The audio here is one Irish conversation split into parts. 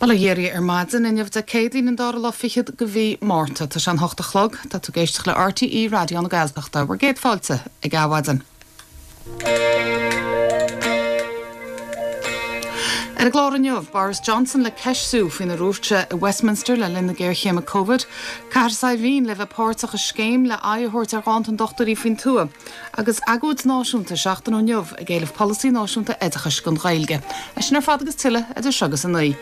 Bail ó Dhia oraibh ar maidin inniu Dé Céadaoin an dara lá fichead de mhí Márta. Tá sé an hocht a chlog. Tá tú ag éisteacht le RTÉ Raidió na Gaeltachta. Bhur gcéad fáilte ag Adhmhaidin. Ar an gclár inniu, Boris Johnson le ceistiú faoina ndúirt sé i Westminster le linn na géarchéime Covid, Cathair Saidhbhín le bheith páirteach i scéim le aghaidh a thabhairt ar ghanntan dochtúirí faoin tuath. Agus agóid náisiúnta seachtain ó inniu ag éileamh polasaí náisiúnta oideachais don Ghaeilge. É sin ar fad agus tuilleadh idir seo agus 9.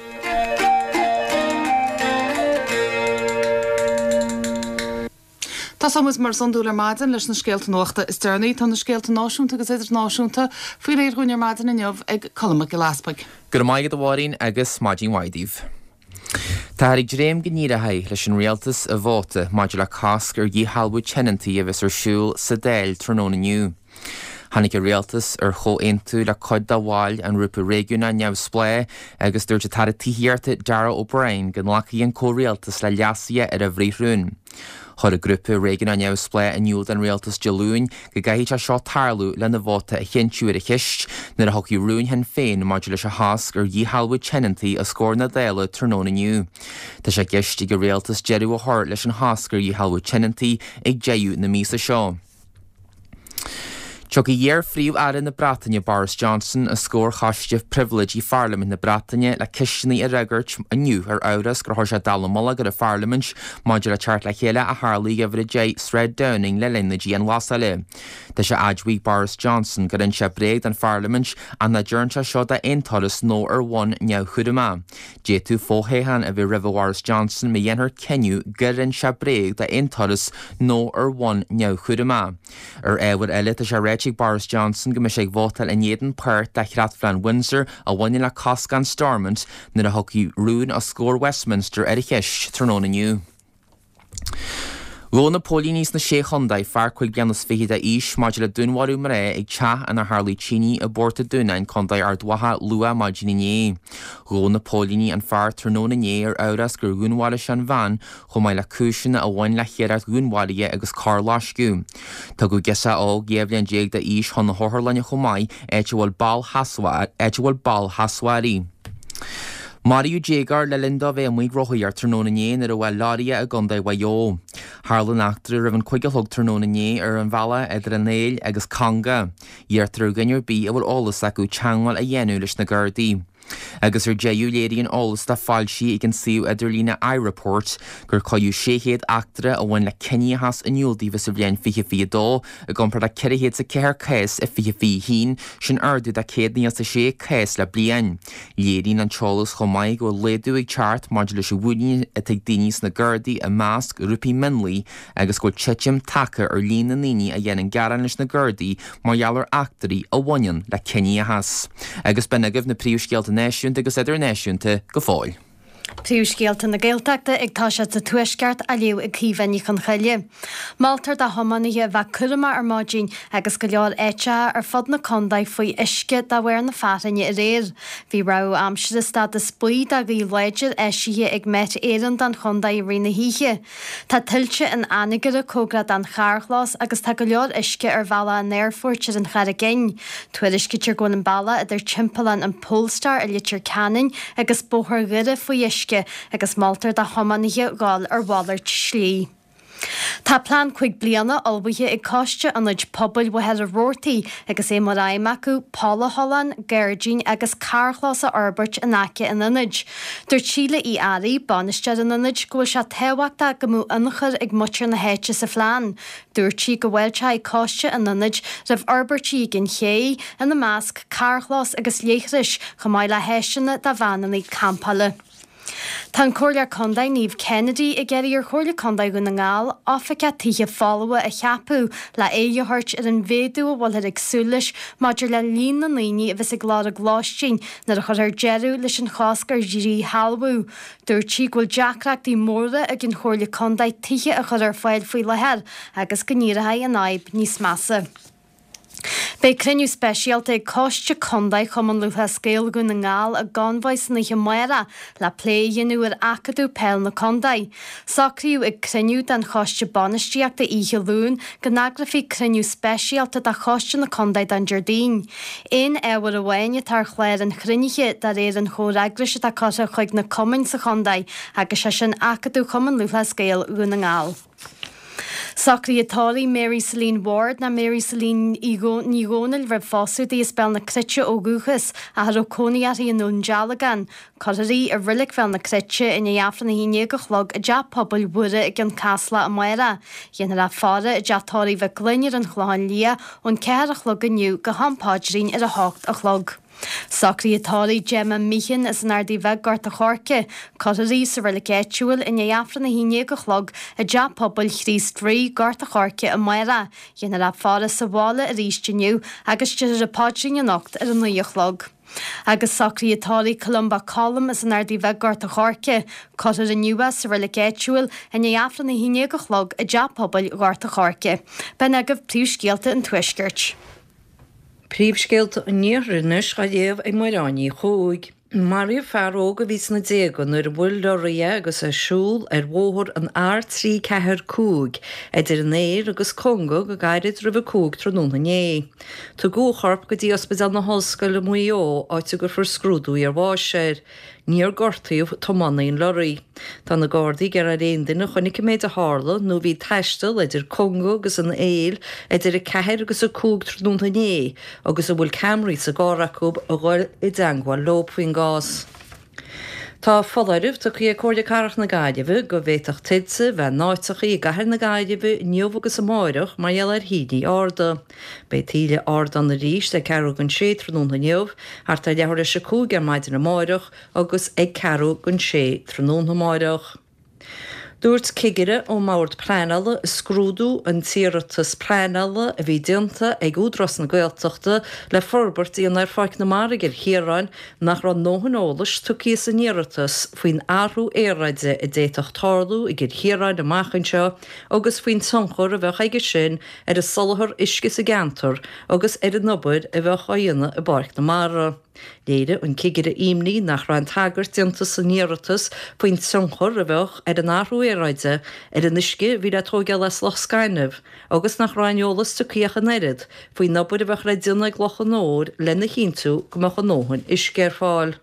Tosóidh muid mar is iondúil ar maidin leis na scéalta nuachta is deireanaí. Tá na scéalta náisiúnta agus idirnáisiúnta faoi réir dhúinn ar maidin inniu ag Colm Mac Giolla Easpaig. Go raibh maith agat a Mháirín agus maidin mhaith daoibh. Táthar ag dréim go n-éireoidh leis an Rialtas a vóta maidir le cosc ar dhíshealbhú tionóntaí a bheas ar siúl sa Dáil tráthnóna inniu. Tháinig an Rialtas ar chomhaontú le cuid de bhaill an Ghrúpa Réigiúnach Neamhspleách agus dúirt an tAire Tithíochta Darragh O'Brien go nglacfaidh an comhrialtas le leasuithe ar an bhfrithrún. Chuir an Grúpa Réigiúnach Neamhspleách in iúl don Rialtas Dé Luain go gcaithfidh sé seo tarlú lena vóta a chinntiú ar an cheist nuair a thiocfaidh rún Shinn Féin maidir leis an chosc ar dhíshealbhú tionóntaí os comhair na Dála tráthnóna inniu. Tá sé i gceist ag an Rialtas deireadh a chur leis an chosc ar dhíshealbhú tionóntaí ag deireadh na míosa seo. Tiocfaidh iar-Phríomh-Aire na Breataine Boris Johnson os comhair Choiste Pribhléidí Pharlaimint na Breataine le ceisteanna a fhreagairt inniu ar amhras gur chuir sé dallamullóg ar an Pharlaimint maidir le teacht le chéile a tharla ag Uimhir 10 Sráid Downing le linn na dianghlasála. Tá sé admhaithe ag Boris Johnson gur inis sé bréag don Pharlaimint ach nach dtearn sé seo d'aon turas nó ar bhonn neamhchúramach. D'fhéadfadh fo-thoghchán a bheith roimhe Bhoris Johnson má dhéanfar cinneadh gur inis sé bréag d'aon turas nó ar bhonn neamhchúramach. Ar ábhar eile, tá sé ráite ag Boris Johnson go mbeidh sé ag vótáil in éadan páirt de Chreatphlean Windsor a bhaineann le coscán Stormont nuair a thiocfaidh rún os comhair Westminster ar an cheist tráthnóna inniu. Ghabh na póilíní sna Sé Chontae fear 25 bliana d'aois maidir le dúnmharú mná ag teach inar tharlaigh tine i bPort a' Dúnáin, Contae Ard Mhacha luath maidin inné. Ghabh na póilíní an fear tráthnóna inné ar amhras gur dhúnmharaigh sé an bhean chomh maith le cúiseanna a bhain le hiarracht dhúnmharaithe agus coirloisceadh. Tugadh girseach óg 12 bhliain d'aois chun na hotharlainne chomh maith, áit a bhfuil bail sheasmhach uirthi. Maraíodh déagóir le linn dó bheith amuigh ag rothaíocht tráthnóna inné nuair a bhuail leoraí é i gContae Mhaigh Eo. Tharla an eachtra roimh an 5 a chlog tráthnóna inné ar an bhealach idir an Aill agus Conga. Iarrtar ar dhuine ar bith a bhfuil eolas acu teagmháil a dhéanamh leis na Gardaí. Agus ar deireadh léiríonn eolas atá foilsithe ag an suíomh idirlíne iReport gur cuireadh 600 eachtra a bhain le ciníochas in iúl daofa sa bhliain 2022 i gcomparáid le 404 cás i 2021, sin ardú de 196 cás le bliain. Léiríonn an t-eolas chomh maith go bhfuil laghdú ag teacht maidir leis an mhuinín atá ag daoine sna Gardaí i measc ghrúpaí mionlaigh agus go bhfuil titim tagtha ar líon na ndaoine a dhéanann gearán leis na Gardaí mar gheall ar eachtraí a bhaineann le ciníochas. Agus b'in agaibh na príomhscéalta náisiúnta agus idirnáisiúnta go fóill. Príomhscéalta na Gaeltachta ag toiseacht sa Tuaisceart á léamh ag Caoimhe Ní Chonchoille. Moltar do thiománaithe a bheith cúramach ar maidin agus go leor áiteacha ar fud na contae faoi uisce de bharr na fearthainne aréir. Bhí rabhadh aimsire stádas buí do ghaoth láidir eisithe ag Met Éireann don chontae i rith na hoíche. Tá tuilte in Anagaire cóngarach don charrchlós agus tá go leor uisce ar bhealach an aerfoirt ar an Charraig Fhinn. Tuairiscítear go bhfuil an bealach idir timpeallán an Polestar i Leitir Ceanainn agus Bóthar Dhoire faoi uisce agus moltar do thiománaithe dhul ar mhalairt slí. Tá plean 5 bliana ullmhaithe ag Coiste Ionaid Pobail Mhachaire Rabhartaigh agus é mar aidhm acu polathollán, gairdín agus carrchlós a fhorbairt in aice an ionaid. Dúirt Síle Uí Fhearraigh, bainisteoir an ionaid, go bhfuil sé tábhachtach go mbeadh ionchur ag muintir na háite sa phlean. Dúirt sí go bhfáilteoidh coiste an ionaid roimh fhorbairtí ag an ché, ina measc carrchlós agus leithris, chomh maith le háiseanna do veaineanna campála. Tá an Comhairleoir Contae Niamh Kennedy ag iarraidh ar Chomhairle Contae Dhún na nGall oifigeach tithe folmha a cheapadh le aghaidh a thabhairt ar an mhéadú a bhfuilthear ag súil leis maidir le líon na ndaoine a bheas ag lorg lóistín nuair a chuirfear deireadh leis an chosc ar dhíshealbhú. Dúirt sí go bhfuil deacrachtaí móra ag an Chomhairle Contae tithe a chur ar fáil faoi láthair agus go n-éireoidh an fhadhb níos measa. Beidh cruinniú speisialta ag Coiste Contae Chumann Lúthchleas Gael Dhún na nGall i gConmhaigh san oíche amárach le plé a dhéanamh ar Acadamh Peil na Contae. Socraíodh ag cruinniú den Choiste Bainistíochta oíche Luain go n-eagrófaí cruinniú speisialta de Choiste na Contae don Déardaoin. Aon ábhar amháin atá ar chlár an chruinnithe de réir an chomhfhreagrais atá curtha chuig na cumainn sa chontae agus sé sin Acadamh Chumann Lúthchleas Gael Dhún na nGall. Socruithe tórraimh Mary Celine Ward ná Mary Celine Ní Dhomhnaill roimh phósadh di as Béal na Cruite ó dhúchas ach a raibh cónaí uirthi i nDún Dealgán. Cuirfear í i Reilig Bhéal na Cruite i ndiaidh Aifreann 11 a chlog i dTeach Pobail Mhuire i gCionn Caslach amárach. Dhéanfar a faire i dTeach Tórraimh Mhic Gloinn ar an Chlochán Liath ón 4 a chlog inniu go ham paidrín ar 8 a chlog. Socruithe tórraimh Gemma Meehan as an Ardaidh Bheag, Gort a' Choirce. Cuirfear í sa reilig áitiúil i ndiaidh Aifreann 11 a chlog i dTeach Pobail Chríost Rí, Gort a' Choirce amárach. Dhéanfar a faire sa bhaile arís inniu agus déarfar an paidrín anocht ar a 9 a chlog. Agus socruithe tórraimh Columba Colm as an Ardaidh Bheag, Gort a' Choirce. Cuirfear inniu é sa reilig áitiúil i ndiaidh Aifreann 11 a chlog i dTeach Pobail Ghort a' Choirce. B'in agaibh príomhscéalta an Tuaiscirt. Príomhscéalta an Iarthair anois á léamh ag Muireann Ní Chuaig. Maraíodh fear óg a bhí sna déaga nuair a bhuail lorraí é agus é ag siúl ar bhóthar an R345 idir an Éill agus Conga go gairid roimh a 5 tráthnóna inné. Tugadh a chorp go dtí Ospidéal na hOllscoile i Maigh Eo áit a gcuirfear scrúdú iarbháis air. Níor gortaíodh tiománaí an lorraí. Tá na Gardaí ag iarraidh ar aon duine a chonaic an méid a tharla nó a bhí ag taisteal idir Conga agus an Éill idir 4 agus 5 tráthnóna inné agus a bhfuil ceamaraí sa gcarr acu a dhul i dteangmháil leo faoin gcás. Tá foláireamh tugtha ag Comhairle Cathrach na Gaillimhe go bhféadfadh tuilte bheith in áiteachaí i gcathair na Gaillimhe inniu agus amáireach mar gheall ar thaoillí arda. Beidh taoille ard ann arís ag ceathrú don sé tráthnóna inniu, thart ar leathuair théis a 5 ar maidin amáireach agus ag ceathrú don sé tráthnóna amáireach. Dúirt cigire ón mBord Pleanála ag scrúdú an t-iarratas pleanála a bhí déanta ag Údarás na Gaeltachta le forbairt a dhéanamh ar Pháirc na Mara i gCill Chiaráin nach raibh a ndóthain eolais tugtha san iarratas faoin athrú aeráide a d'fhéadfadh tarlú i gCill Chiaráin amach anseo agus faoin tionchar a bheadh aige sin ar an soláthar uisce sa gceantar agus ar an obair a bheadh á dhéanamh i bPáirc na Mara. Léirigh an cigire imní nach raibh aon tagairt déanta san iarratas faoin tionchar a bheadh ar an athrú aeráide ar an uisce a bhí le tóigeáil as Loch Scainnimh agus nach raibh aon eolas tugtha ach an oiread faoin obair a bheadh le déanamh ag Loch an Óir lena chinntiú go mbeadh a ndóthain uisce ar fáil.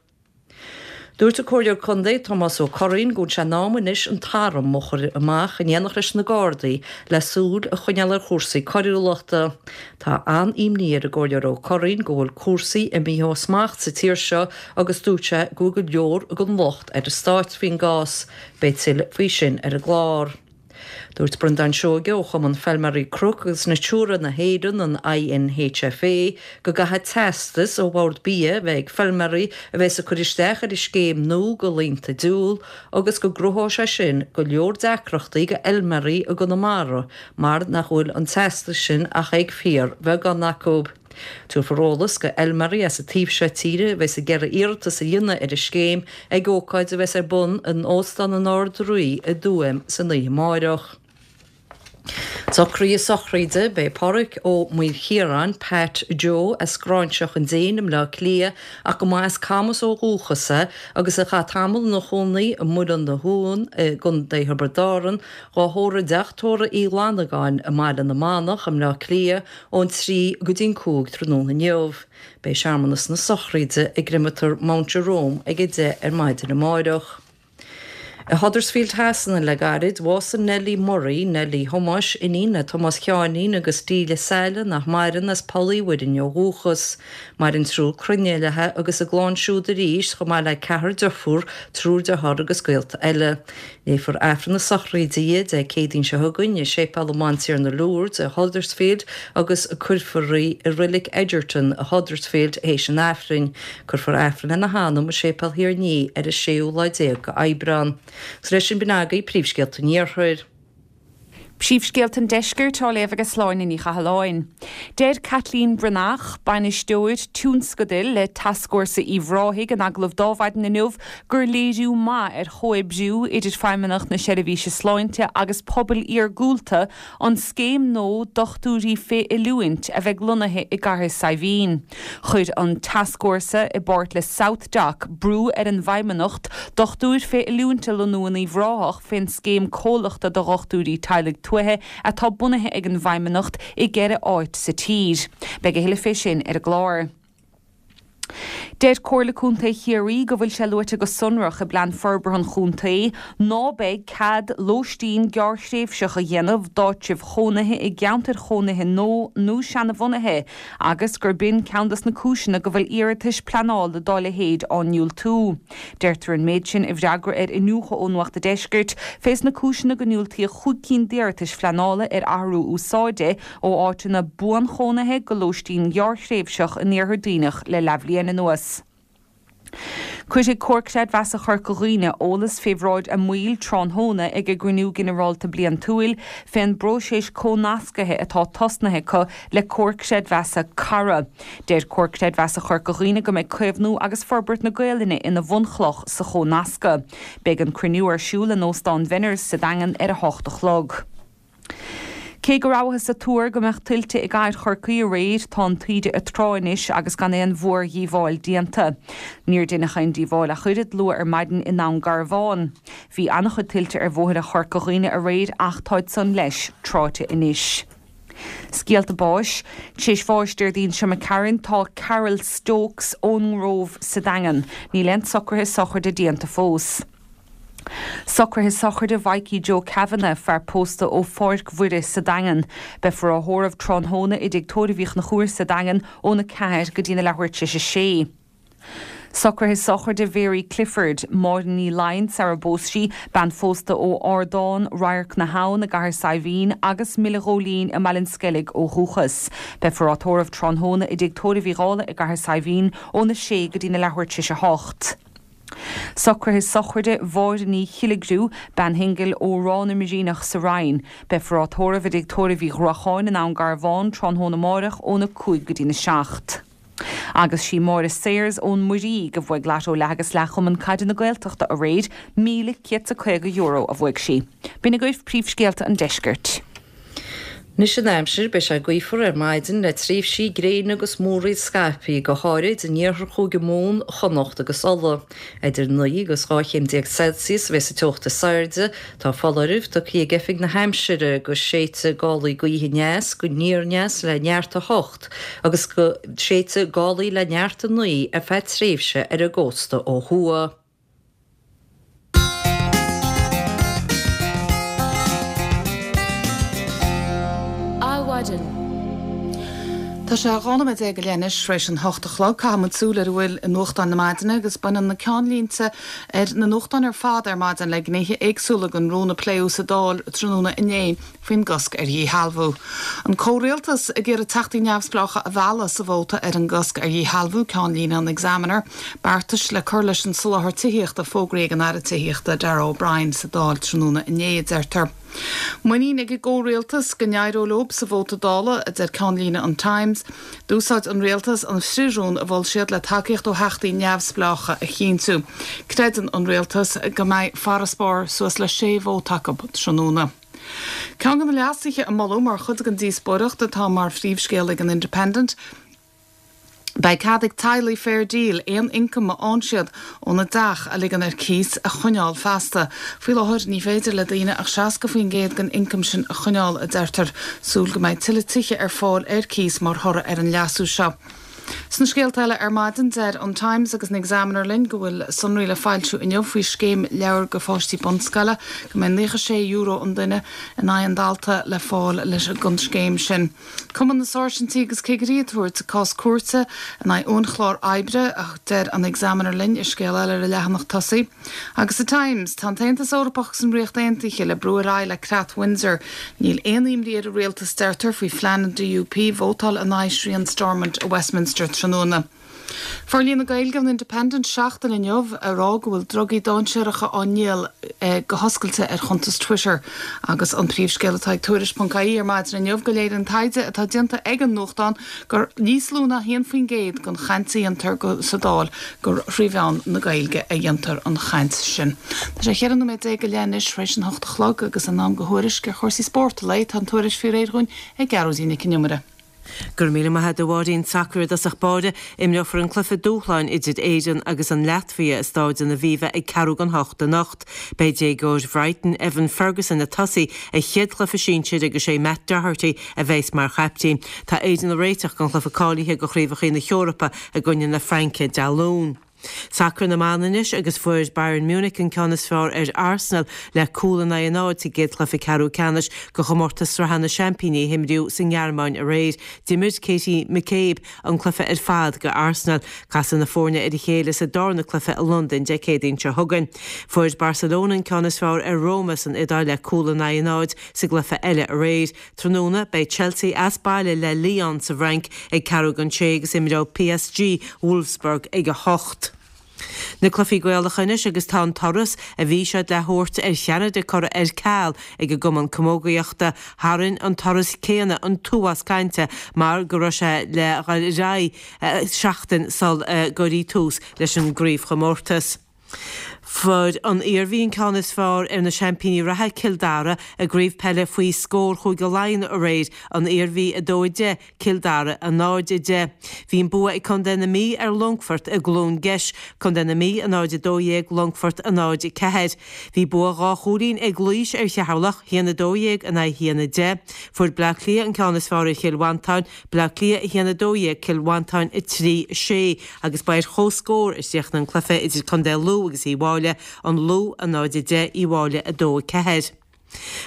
Dúirt an Comhairleoir Contae Tomás Ó Curraoin go bhfuil sé in am anois an t-arm a chur amach in éineacht leis na Gardaí le súil a choinneáil ar chúrsaí coiriúlachta. Tá an-imní ar an gComhairleoir Ó Curraoin go bhfuil cúrsaí imithe ó smacht sa tír seo agus dúirt sé go bhfuil go leor den locht ar an Stát faoin gcás. Beidh tuilleadh faoi sin ar an gclár. Dúirt Breandán Seoige ó Chumann Feilméaraí Cnoc agus Natura na hÉireann, an INHFA, go gcaithfidh teastas ó Bhord Bia a bheith ag feilméaraí a bheas ag cur isteach ar an scéim nua do laethanta diúil agus go gcruthóidh sé sin go leor deacrachtaí do fheilméaraí i gConamara mar nach bhfuil an teastas sin ach ag fíorbheagán acu. Tabharfar eolas do fheilméaraí as an taobh seo tíre a bheas ag iarraidh iarratas a dhéanamh ar an scéim ag ócáid a bheas ar bun in Óstán an Ard Rí i dTuaim san oíche amáireach. Socruithe sochraide Beidh Páraic Ó Maoilchiaráin, Pat Joe, as Gráinseach an Déin i mBleá Cliath ach go mba as Camas ó dhúchas é agus a chaith tamall ina chónaí i Muileann na hUan i gContae Thiobraid Árann, dhá thórramh i dTeach Tórraimh Uí Fhlannagáin i mBaile na Manach i mBleá Cliath Ón 3 go dtí'n 5 tráthnóna inniu, beidh searmanas na sochraide i gCreamatóir Mount Jerome ag 10 ar maidin amáireach. I Huddersfield Shasana le gairid, bhásaigh Nellie Murray, Nellie Thomáis, iníon le Tomás Sheáinín agus Delia Saile nach maireann as Poll Uí Mhuirinn ó dhúchas. Maireann triúr clainne léi agus a gclann siúd arís chomh maith le ceathrar deirfiúr, triúr dearthár agus gaolta eile. Léifear Aifreann na sochraide di Dé Céadaoin seo chugainn i Séipéal an Bhantiarna Lourdes i Huddersfield agus cuirfear í i Reilig Egerton i Huddersfield théis an Aifrinn. Cuirfear Aifreann lena hanam i Séipéal Thír an Fhia ar an séú lá déag d'Aibreán. Agus leis sin b'in agaibh príomhscéalta an Iarthair. Príomhscéalta an Deiscirt á léamh ag Sláine Ní Chathalláin. Deir Caitlín Breathnach, Bainisteoir Tionscadail le Tascfhórsa Uíbh Ráthaigh in agallamh d'Adhmhaidin inniu gur léiriú maith ar chomhoibriú idir Feidhmeannacht na Seirbhíse Sláinte agus pobail iargúlta an scéim nua dochtúirí fé oiliúint a bheidh lonnaithe i gCathair Saidhbhín. Chuir an Tascfhórsa, i bpáirt le SouthDoc, brú ar an bhFeidhmeannacht dochtúir fé oiliúint a lonnú in Uíbh Ráthach fén scéim comhlachta do dhochtúirí teaghlaigh tuaithe atá bunaithe ag an bhFeidhmeannacht i gceithre áit sa tír. Beidh a thuilleadh fé sin ar an gclár. Deir Comhairle Contae Chiarraí go bhfuil sé luaite go sonrach i bPlean Forbartha an Chontae ná beidh cead lóistín gearrthréimhseach a dhéanamh d'áitribh chónaithe i gceantair chónaithe nua nó seanabhunaithe agus gur b'in ceann dos na cúiseanna go bhfuil iarratais pleanála dá leithéid á ndiúltú. Deirtear an méid sin i bhfreagra ar iniúchadh ó Nuacht an Deiscirt fés na cúiseanna go ndiúltaíodh chúig cinn d'iarratais phleanála ar athrú úsáide ó áiteanna buanchónaithe go lóistín ghearrthréimhseach in Iarthar Duibhneach le leathbhliain anuas. Cuirfidh Comhar Creidmheasa Chorca Dhuibhne eolas fé bhráid a mbaill tráthnóna ag a gcruinniú ginearálta bliantúil fén bpróiseas comhnascaithe atá tosnaithe acu le Comhar Creidmheasa Cara. Deir Comhar Creidmheasa Chorca Dhuibhne go mbeidh caomhnú agus forbairt na Gaolainne ina bhunchloch sa chomhnascadh. Beidh an cruinniú ar siúl in Óstán Bhenners sa Daingean ar 8 a chlog. Cé go rabhthas ag tuar go mbeadh tuilte i gcathair Chorcaí aréir, tá an taoide ag trá anois agus gan aon mhórdhíobháil déanta. Níor deineadh aon díobháil ach oiread luath ar maidin i nDún Garbhán. Bhí an-chuid tuilte ar bhóithre Chorca Dhuibhne aréir ach táid san, leis, tráite anois. Scéalta báis. Tar éis bháis Déardaoin seo imigh tharainn tá Carol Stokes ón nGrove sa Daingean. Níl aon socruithe sochraide déanta fós. Socruithe sochraide Mhaidhcí Joe Kavanagh, fear pósta ó Pháirc Mhuire sa Daingean. Beifear á thórramh tráthnóna i dTigh Tórraimh Uí Chonchúir sa Daingean óna 4 go dtína leathuair tar éis a sé. Socruithe sochraide Mhary Clifford, Máire Ní Laighin sara bpós sí, bean phósta ó Ardán, Radharc na hAbhann i gCathair Saidhbhín agus Míle Góilín i mBaile an Sceilg ó dhúchas. Beifear á tórramh tráthnóna i dTigh Tórraimh Uí Dhálaigh i gCathair Saidhbhín óna sé go dtína leathuair tar éis a hocht. Socruithe sochraide Mháire Ní Chilligriú, bean shingil ó Ráth na mBrianach sa Rinn. Beifear á tórramh i dTigh Tórraimh Uí Ghruacháin i nDún Garbhán tráthnóna amáireach óna 5 go dtína 7. Agus sí Máire Sayers ón Muirígh a bhuaigh Lató Leath agus Leath Chumann Caide na Gaeltachta aréir, €1,150 a bhuaigh sí. B'in agaibh príomhscéalta an deiscirt. Anois an aimsir, beidh sé gaofar ar maidin le tréimhsí gréine agus múraíl scaipthe, go háirid in iarthar Chúige Mumhan, Chonnacht agus Uladh. Idir 9 agus 12 chéim Celsius a bheas an teocht is airde. Tá foláireamh tugtha ag Oifig na hAimsire go séidfidh gálaí gaoithe aneas go aniar aneas le neart 8 agus go séidfidh gálaí le neart 9 ar feadh tréimhse ar an gcósta ó thuaidh. Adhmhaidin. Tá sé 12 nóiméad go leith anois tar éis an hocht a chlog. Caithfidh muid súil ar a bhfuil i nuachtáin na maidine agus baineann na ceannlínte ar na nuachtáin ar fad ar maidin le gnéithe éagsúla den rún a pléadh sa Dáil tráthnóna inné. faoin gcosc ar dhíshealbhú. An comhrialtas ag iarraidh teachtaí neamhspleácha a mhealladh sa vóta ar an gcosc ar dhíshealbhú, ceannlíne an Examiner. Beartais le cur leis an soláthar tithíochta fógraithe ag an Aire Tithíochta Darragh O'Brien sa Dáil tráthnóna inné, a deirtear. Muinín ag an gcomhrialtas go n-éireoidh leo sa vóta Dála, a deir ceannlíne an Times. D'úsáid an rialtas an frith-rún a mhol siad le tacaíocht ó theachtaí neamhspleácha a chinntiú. Creideann an rialtas go mbeidh farasbarr suas le sé vóta acu tráthnóna. Ceann de na leasuithe a moladh mar chuid den díospóireacht atá mar phríomhscéal ag an Independent, beidh cead ag teaghlaigh fair deal aon ioncam a fhaigheann siad óna dteach a ligean ar cíos a choinneáil feasta. Faoi láthair ní féidir le daoine ach 60% den ioncam sin a choinneáil, a deirtear. Súil go mbeidh tuilleadh tithe ar fáil ar cíos mar thoradh ar an leasú seo. Sna scéalta eile ar maidin, deir an Times agus an Examiner linn go bhfuil sonraí le foilsiú inniu faoi scéim leabhar do pháistí bunscoile, go mbeidh €96 an duine in aghaidh an dalta le fáil leis an scéim sin. Cumann na Sáirsintí agus Cigirí ag tabhairt cás cúirte in aghaidh uainchlár oibre, a deir an Examiner linn i scéal eile ar a leathanach tosaigh. Agus sa Times, tá an tAontas Eorpach agus an Ríocht Aontaithe le brú ar aghaidh le Creat Windsor. Níl aon imní ar an rialtas, deirtear, faoi phlean an DUP vótáil in aghaidh srian Stormont i Westminster tráthnóna. Forlíonadh Gaeilge ón Independent seachtain inniu ag rá go bhfuil drugaí dainséaracha á ndíol. go hoscailte ar chuntas Twitter. Agus an príomhscéal atá ag Tuairisc.ie ar maidin inniu go léiríonn taighde atá déanta ag an nuachtán gur níos lú ná 1% den chaint a dhéantar sa Dáil gur thrí mheán na Gaeilge a dhéantar an chaint sin. Tá sé 14 nóiméad go leith anois tar éis an hocht a chlog agus in am do thuairisc ar chúrsaí spóirt an lae. Tá an tuairisc faoi réir dhúinn ag Gearóidín Nic an Iomaire. Go raibh míle maith agat a Mháirín. Sacar i dtosach báire, imreofar an cluiche dúshláin idir Éirinn agus an Laitvia i Stáid an Aviva ag ceathrú don hocht anocht. Beidh déagóir Bhrighton, Evan Ferguson ag tosaí a chéad chluiche sinsir agus sé Matt Doherty a bheas mar chaiptín. Tá Éirinn ag réiteach don chluiche cáilithe do Chraobhacha na hEorpa i gcoinne na Fraince Dé Luain. Sacar na mban anois agus fuair Bayern Munich an ceann is fearr ar Arsenal le cúl in aghaidh a náid sa gcéad chluiche ceathrú ceannais de chomórtas Sraithe na Seaimpíní a himríodh sa nGearmáin aréir. D'imir Katie McCabe an cluiche ar fad do Arsenal. Casfaidh na foirne ar a chéile sa darna cluiche i Londain Dé Céadaoin seo chugainn. Fuair Barcelona an ceann is fearr ar Roma san Iodáil le cúl in aghaidh a náid sa gcluiche eile aréir. Tráthnóna, beidh Chelsea as baile le Lyon sa bhFrainc ag ceathrú don sé agus imreoidh PSG Wolfsburg ag 8. Na cluichí Gaelacha anois agus tá an turas a bhí siad le thabhairt ar Cheanada curtha ar ceal ag an gCumann Camógaíochta. Tharraing an turas céanna an t-uafás cainte mar go raibh sé le dhul ar aghaidh seachtain sul a gcuirfí tús leis an gcraobhchomórtas. Fuair an Iarmhí an ceann is fearr ar na seaimpíní reatha Cill Dara i gcraobh peile faoi scór Chúige Laighean aréir, An Iarmhí 2, 10, Cill Dara 0, 10. Bhí an bua ag Contae na Mí ar Longfort i gCluain Geis, Contae na Mí 0, 12, Longfort 0, 4. Bhí bua dhá chúilín ag Laois ar Cheatharlach, 1, 12 in aghaidh 1, 10. Fuair Bleá Cliath an ceann is fearr ar Chill Mhantáin, Bleá Cliath 1, 12, Cill Mhantáin 3, 6, agus ba ar comhscór a chríochnaigh an cluiche idir Contae Lú agus Uíbh Fhailí, An Lú 0, 10, Uíbh Fhailí 2, 4.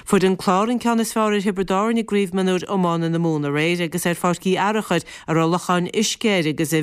Fuair an Clár an ceann is fearr ar Thiobraid Árann i gCraobh Mionúir Iomána na Mumhan aréir agus ar Pháirc Uí Fhearachair a raibh locháin uisce air agus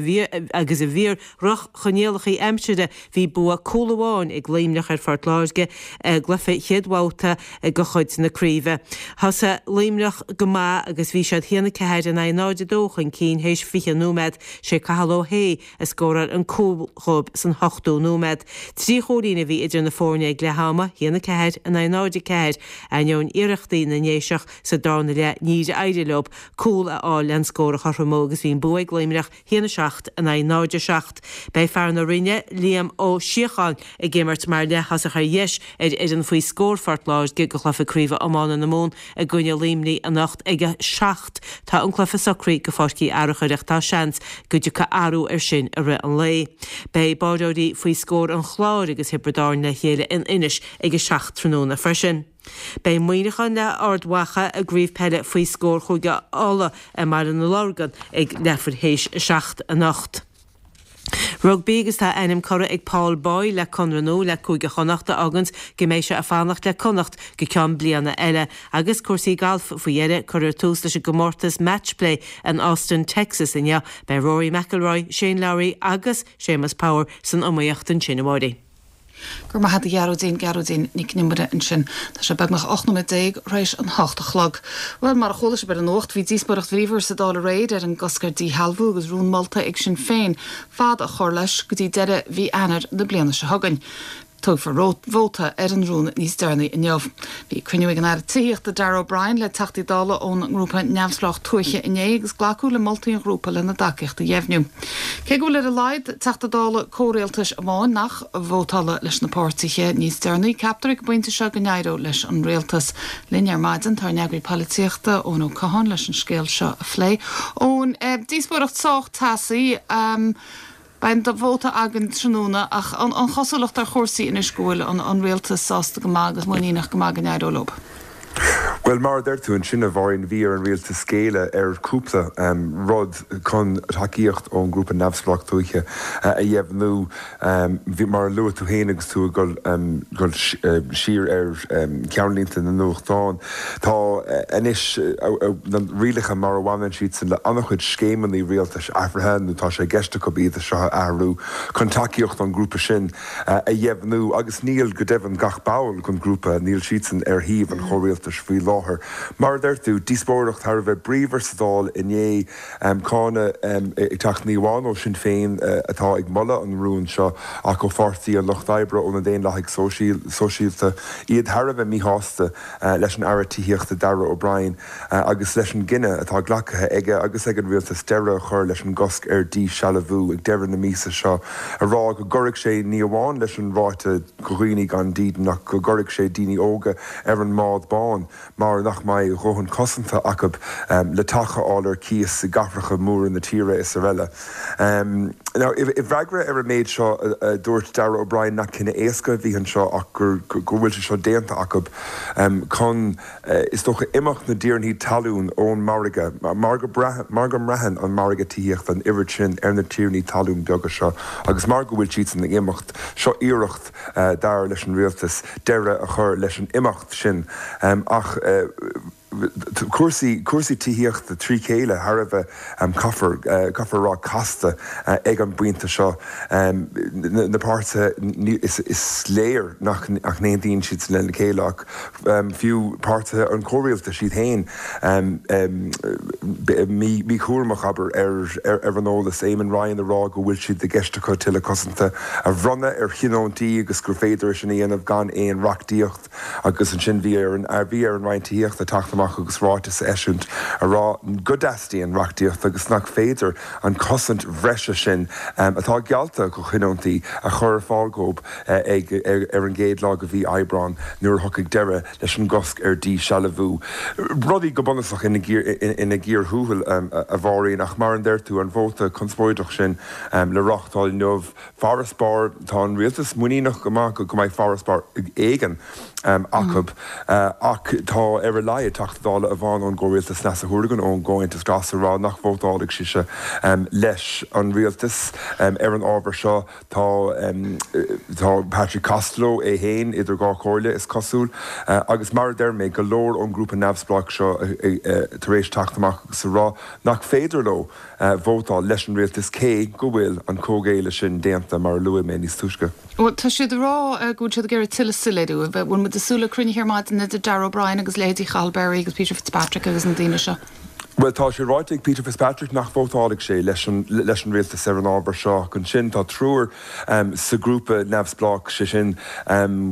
i bhfíor-dhroch-choinníollacha aimsire bhí bua cúl amháin ag Luimneach ar Phort Láirge i gcluiche chéad bhabhta de chuid na craoibhe. Thosaigh Luimneach go maith agus bhí siad 1-4 in aghaidh 0-2 chun cinn théis 20 nóiméad. Sé Cathal Ó hAodha a scóráil an cúl dhóibh san ochtú nóiméad. Trí chúilín a bhí idir na foirne ag leath ama, 1-4 in aghaidh 0-4. Ainneoin iarrachtaí na nDéiseach sa darna leath níor éirigh leo cúl a fháil le an scór a chothromú agus bhí an bua ag Luimneach 1-7 in aghaidh 0-7. Beidh fear na Rinne, Liam Ó Síocháin, ag imirt mar leath-thosach ar dheis ar fhoireann faoi scór Phort Láirge do chluiche craoibhe iomána na Mumhan i gcoinne Luimnigh anocht ag 7. Tá an cluiche socraithe go Pháirc Uí Fhearachair ach tá seans go dtiocfaidh athrú ar sin i rith an lae. Beidh báireoirí faoi scór an Chláir agus Thiobraid Árann le chéile in Inis ag 7 tráthnóna freisin. Beidh Muineachán le Ard Mhacha i gcraobh peile faoi scór Chúige Uladh i mBaile na Lorgan ag leathuair théis 7 anocht. Rugbaí agus tá a ainm curtha ag Paul Boyle le conradh nua le Cúige Chonnacht a fháganns go mbeidh sé ag fanacht le Connacht go ceann bliana eile. Agus cúrsaí gailf faoi dheireadh, cuirfear tús leis an gcomórtas Matchplay in Austin, Texas inniu. Beidh Rory McIlroy, Shane Lowry agus Séamus Power san iomaíocht ansin, a Mháirín. Go raibh maith agat a Ghearóidín, Gearóidín Nic an Iomaire ansin. Tá sé beagnach 18 nóiméad tar éis an hocht a chlog. Bhuel, mar a chuala sibh ar an nuacht, bhí díospóireacht bhríomhar sa Dáil aréir ar an gcosc ar díshealbhú agus rún molta ag Sinn Féin fad a chur leis go dtí deireadh mhí Eanáir na bliana seo chugainn. Tógfar vóta ar an rún níos deireanaí inniu. Bhí cruinniú ag an Aire Tithíochta Darragh O'Brien le Teachtaí Dála ón ngrúpa Neamhspleách Tuaithe inné agus glacadh le moltaí an ghrúpa lena dtacaíocht a dheimhniú. Cé go bhfuil ar a laghad Teachta Dála comhrialtais amháin nach vótálfaidh leis na páirtithe níos deireanaí, ceaptar ag an bpointe seo go n-éireoidh leis an rialtas. Linn ar maidin tá ár n-eagraí polaitíochta, Eoin Ó Catháin, leis an scéal seo a phlé. Eoin, díospóireacht sách teasaí. Beidh an vóta againn tráthnóna ach an chosúlacht ar chúrsaí anois go bhfuil an rialtas sásta go maith agus muiníneach go maith go n-éireoidh leo? Bhuel, mar a deir tú ansin, a Mháirín, bhí ar an rialtas géilleadh ar chúpla rud chun tacaíocht ón ngrúpa Neamhspleách Tuaithe a dheimhniú. Bhí, mar a luaigh tú féin agus tú ag dul siar ar cheannlínte na nuachtán, tá anois na rialacha mar a bhaineann siadsan le an-chuid scéimeanna rialtais athraithe nó tá sé i gceist acu iad seo a athrú chun tacaíocht ón ngrúpa sin a dheimhniú agus níl, go deimhin, gach ball den ghrúpa, níl siadsan ar thaobh an chomhrialtais faoi láthair. láthair. Mar a deir tú, díospóireacht thar a bheith bríomhar sa Dáil inné, cáineadh ag teacht ní amháin ó Sinn Féin atá ag moladh an rúin seo ach ó Pháirtí an Lucht Oibre, ó na Daonlathaigh Sóisialta, iad thar a bheith míshásta leis an Aire Tithíochta Darragh O'Brien agus leis an gcinneadh atá glactha aige agus ag an Rialtas deireadh a chur leis an gcosc ar dhíshealbhú ag deireadh na míosa seo, a rá go gcuirfidh sé ní amháin leis an ráta do dhaoine gan dídean ach go gcuirfidh sé daoine óga ar an mbád bán mar nach mbeidh a dhóthain cosanta acu le teach a fháil ar cíos i gcathracha móra na tíre is araile. Now, i bhfreagra ar an méid seo, dúirt Darragh O'Brien nach cinneadh éasca a bhí anseo ach go bhfuil sé seo déanta acu chun, is dócha, imeacht na dtiarnaí talún ón margadh, mar go mbraitheann an margadh tithíochta an oiread sin ar na tiarnaí talún beaga seo agus mar go bhfuil siadsan ag imeacht, seo iarracht, dar leis an rialtas, deireadh a chur leis an imeacht sin. Ach cúrsaí, cúrsaí tithíochta trí chéile thar a bheith, caithfear, caithfear a rá, casta ag an bpointe seo. Na páirtithe, is léir nach n-aontaíonn siad lena chéile ach fiú páirtithe an chomhrialtais iad féin míchúramach, abair, ar an eolas. Eamon Ryan ag rá go bhfuil siad i gceist acu tuilleadh cosanta a bhronnadh ar thionóntaí agus gur féidir é sin a dhéanamh gan aon reachtaíocht. Agus ansin bhí ar an bhí ar an Roinn Tithíochta teacht amach agus ráiteas a eisiúint a rá go dteastaíonn reachtaíocht agus nach féidir an chosaint bhreise sin atá geallta do thionóntaí a chur ar fáil dhóibh ag ar an gcéad lá de mhí Aibreáin nuair a thiocfaidh deireadh leis an gcosc ar dhíshealbhú. Rudaí go bunúsach ina gcíor thuathail, a Mháirín, ach mar a deir tú, an vóta conspóideach sin le reáchtáil inniu, Farasbarr, tá an rialtas muiníneach go maith go mbeidh farasbarr éigin acu ach tá ar a laghad Teachta Dála amháin ón gcomhrialtas, Neasa Hourigan ón gComhaontas Glas, ag rá nach vótálfaidh sise leis an rialtas ar an ábhar seo. Tá tá Patrick Costello é féin idir dhá chomhairle, is cosúil, agus mar a deir mé, go leor ón ngrúpa neamhspleách seo tar éis teacht amach agus a rá nach féidir leo vótáil leis an rialtas cé go bhfuil an comhghéilleadh sin déanta, mar a luaigh mé níos túisce. Bhuel, tá siad ag rá go bhfuil siad ag iarraidh tuilleadh soiléiriú. An bhfuil muid ag súil le cruinnithe ar maidin idir Darragh O'Brien agus leithéidí Chathal Berry agus Peter Fitzpatrick agus na daoine seo? Bhuel, tá sé ráite ag Peter Fitzpatrick nach vótálfaidh sé leis an leis an rialtas ar an ábhar seo. Ach ansin tá triúr sa ghrúpa neamhspleách, sé sin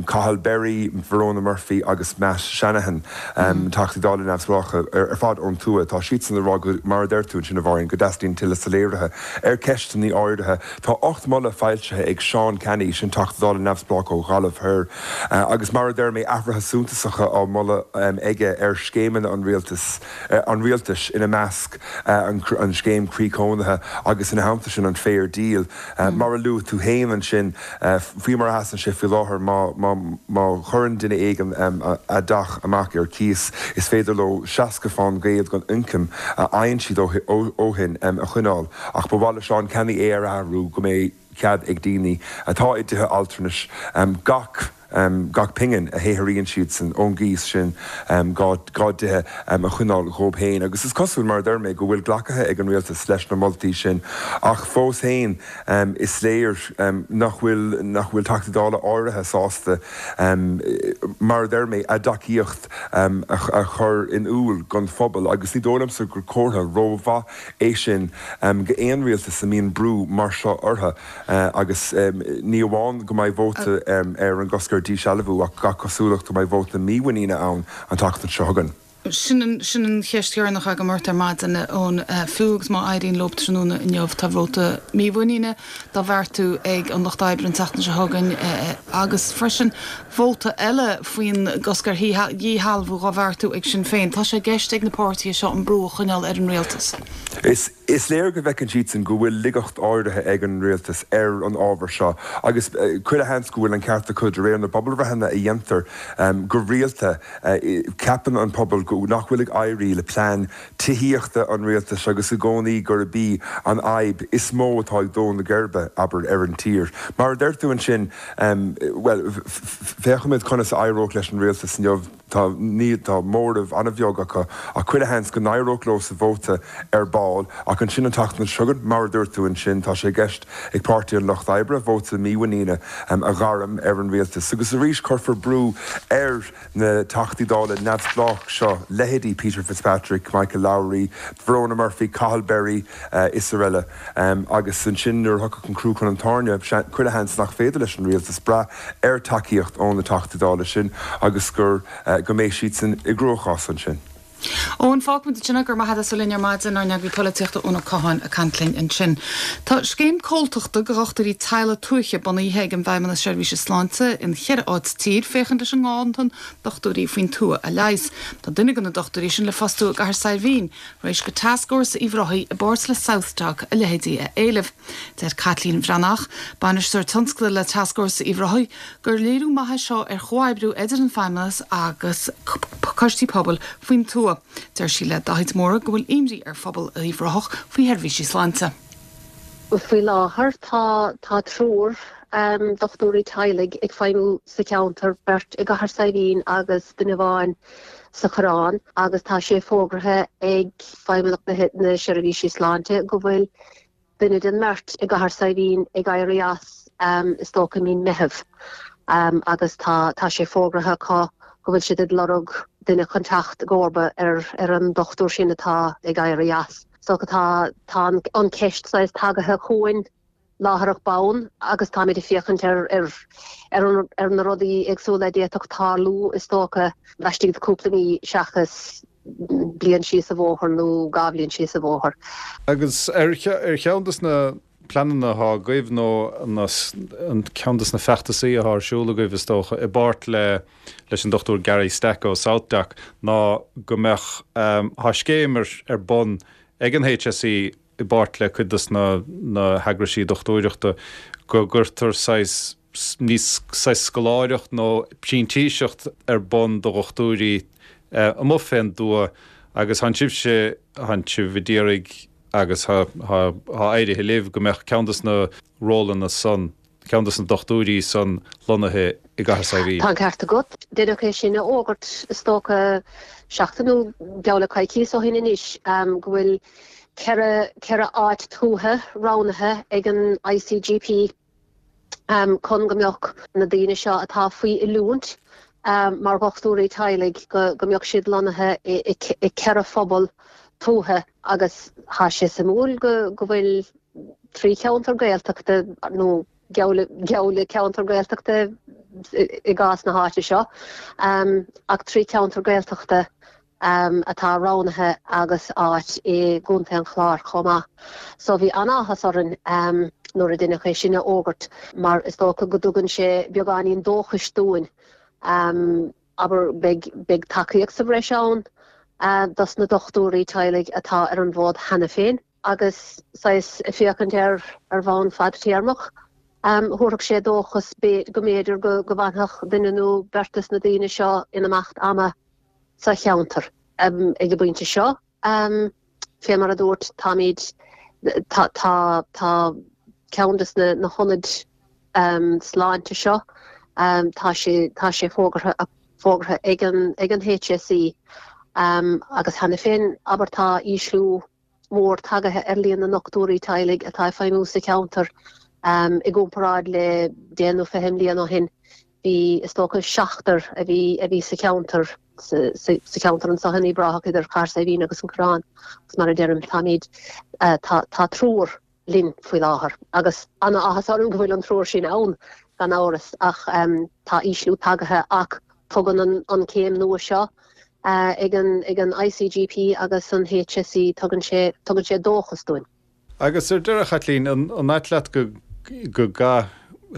Cathal Berry, Verona Murphy agus Matt Shanahan, Teachtaí Dála neamhspleácha ar fad ón tuath. Tá siadsan ag rá go, mar a deir tú ansin a Mháirín, go dteastaíonn tuilleadh soiléirithe ar cheisteanna áirithe. Tá 8 moladh foilsithe ag Seán Canney, sin Teachta Dála neamhspleách ó Ghaillimh Thoir, agus mar a deir mé, athruithe suntasacha á moladh aige ar scéimeanna an rialtais, an rialtais, ina measc an scéim Croí Cónaithe agus ina theannta sin an Fair Deal. Mar a luaigh tú féin ansin, faoi mar a sheasann sé faoi láthair, má chuireann duine éigin a dteach amach ar cíos, is féidir leo 60% den ioncam a fhaigheann siad ó shin a choinneáil. Ach ba mhaith le Seán Canney é a athrú go mbeidh cead ag daoine atá i dtithe altranais gach gach pingin a shaothraíonn siadsan ón gcíos sin dá dtithe a choinneáil dhóibh féin. Agus is cosúil, mar a deir mé, go bhfuil glactha ag an rialtas leis na moltaí sin ach fós féin is léir nach bhfuil nach bhfuil Teachtaí Dála áirithe sásta, mar a deir mé, a dtacaíocht a chur in iúl don phobal agus ní dóigh liomsa gur comhartha rómhaith é sin d'aon rialtas a mbíonn brú mar seo orthu. Agus ní amháin go mbeidh vóta ar an gcosc ar dhíshealbhú ach gach cosúlacht go mbeidh vóta mímhuiníne ann an tseachtain seo chugainn. Sin an sin an cheist dheireanach agam ort ar maidin, a Eoin. Fiú agus má éiríonn leo tráthnóna inniu, tá vóta mímhuiníne dá bheartú ag an Lucht Oibre an tseachtain seo chugainn agus freisin vóta eile faoin gcosc ar dhíshealbhú dhá bheartú ag Sinn Féin. Tá sé i gceist ag na páirtithe seo an brú a choinneáil ar an rialtas. Is. Is léir go bhfeiceann siadsan go bhfuil laigeacht áirithe ag an rialtas ar an ábhar seo agus chuile sheans go bhfuil an ceart acu. De réir na bpobalbhreitheanna a dhéantar go rialta, ceapann an pobal nach bhfuil ag éirí le plean tithíochta an rialtais agus i gcónaí gurb í an fhadhb is mó atá ag dó na geirbe, abair, ar an tír. Mar a deir tú ansin, bhuel, féachfaimid conas a éireoidh leis an rialtas inniu. Tá, níl, tá móramh an-bheag acu ach chuile sheans go n-éireodh leo sa vóta ar ball ach ansin an tseachtain seo chugainn, mar a dúirt tú ansin, tá sé i gceist ag Páirtí an Lucht Oibre vóta mímhuiníne a ghairm ar an rialtas agus arís cuirfear brú ar na Teachtaí Dála neamhspleách seo, leithéidí Peter Fitzpatrick, Michael Lowry, Verona Murphy, Cathal Berry is araile. Agus ansin nuair a thiocfadh an crú chun an tairne, chuile sheans nach féidir leis an rialtas brath ar tacaíocht ó na Teachtaí Dála sin agus gur go mbeidh siadsan i gcruachás ansin. Eoin, fágfaimid ansin é, go raibh maith agat as a bheith linn ar maidin, ár n-eagraí polaitíochta Eoin Ó Catháin ag caint linn ansin. Tá scéim comhaltachta do dhochtúirí teaghlaigh tuaithe bunaithe ag an bhFeidhmeannas Seirbhíse Sláinte in cheithre áit sa tír féachaint leis an nganntan dochtúirí faoin tuath a leigheas. Tá duine de na dochtúirí sin le fostú i gCathair Saidhbhín, tar éis do Tascfhórsa Uíbh Ráthaigh i bpáirt le SouthDoc a leithéidí a éileamh. Deir Caitlín Bhreathnach, Bainisteoir Tionscadail le Tascfhórsa Uíbh Ráthaigh, gur léiriú maith é seo ar chomhoibriú idir an Feidhmeannas agus coistí pobail faoin tuath. Deir sí le Dáithí de Mórdha go bhfuil imní ar phobal Uíbh Ráthach faoi sheirbhísí sláinte. Faoi láthair tá tá triúr dochtúirí teaghlaigh ag feidhmiú sa cheantar, beirt i gCathair Saidhbhín agus duine amháin sa Choireán agus tá sé fógraithe ag Feidhmeannacht na Seirbhísí Sláinte go bhfuil duine den mbeirt i gCathair Saidhbhín ag éirí as is dócha i mí Meitheamh agus tá tá sé fógraithe acu go bhfuil siad ag lorg duine chun teacht i gcomharba ar ar an dochtúir sin atá ag éirí as. So tá tá an ceist saghas tagaithe chugainn láithreach bonn agus táimid ag féachaint ar ar ar ar na rudaí éagsúla a d'fhéadfadh tarlú is dócha laistigh de cúpla mí seachas bliain síos an bhóthar nó dha bhliain síos an bhóthar. Agus ar cheann de na pleananna atá agaibh nó an ceann de na feachtasaí atá ar siúl agaibh is dócha i bpáirt le leis an Dr Gary Stack ó SouthDoc ná go mbeadh tá scéim ar ar bun ag an HSE i bpáirt le cuid de na na heagraisí dochtúireachta go gcuirtear saghas ní saghas scoláireacht nó printíseacht ar bun do dhochtúirí amuigh fén dtuath agus thánn sibhse, thánn sibh a d'iarraidh agus thá, thá éirithe libh go mbeadh ceann dos na rólanna san, ceann dos na dochtúirí san lonnaithe i gCathair Saidhbhín. Tá an ceart agat. Deineadh é sin a fhógairt is dócha seachtain nó geall le coicíos ó shin anois go bhfuil 4, 4 áit tuaithe roghnaithe ag an ICGP. chun go mbeadh na daoine seo atá faoi oiliúint mar dhochtúirí teaghlaigh, go mbeadh siad lonnaithe i 4 phobal tuaithe agus tá sé suimiúil go bhfuil 3 cheantar Gaeltachta nó geall le ceantar Gaeltachta i gcás na háite seo ach 3 cheantar Gaeltachta atá roghnaithe agus áit i gContae an Chláir chomh maith. So bhí an-áthas orainn nuair a deineadh é sin a fhógairt mar is dócha go dtugann sé beagáinín dóchais dúinn. Abair, beidh, beidh tacaíocht sa bhreis ann dos na dochtúirí teaghlaigh atá ar an bhfód cheana féin agus saghas ag féachaint air ar bhonn fadtéarmach, thabharfadh sé dóchas go mb'fhéidir go bhfanfadh duine nó beirt dos na daoine seo in imeacht ama sa cheantar. Ag an bpointe seo, fé mar a dúirt, táimid, tá, tá, tá ceann des na hionaid sláinte seo, tá sé, tá sé fógartha, fógartha ag an, ag an HSE agus cheana féin, abair, tá ísliú mór tagaithe ar líon na ndochtúirí teaghlaigh atá ag feidhmiú sa cheantar i gcomparáid le deich nó 20 mbliain ó shin. Bhí, is dócha, seachtar a bhí a bhí sa cheantar, sa cheantar anseo in Uíbh Ráthach idir Chathair Saidhbhín agus an Coireán agus mar a deirim, táimid, tá, tá triúr linn faoi láthair agus an-áthas orm go bhfuil an triúr sin ann gan amhras ach tá ísliú tagaithe ach tugann an céim nua seo ag an ag an ICGP agus an HSE tugann sé tugann sé dóchas dúinn. Agus ar deireadh, a Chaitlín, an ait leat go go gcaithfidh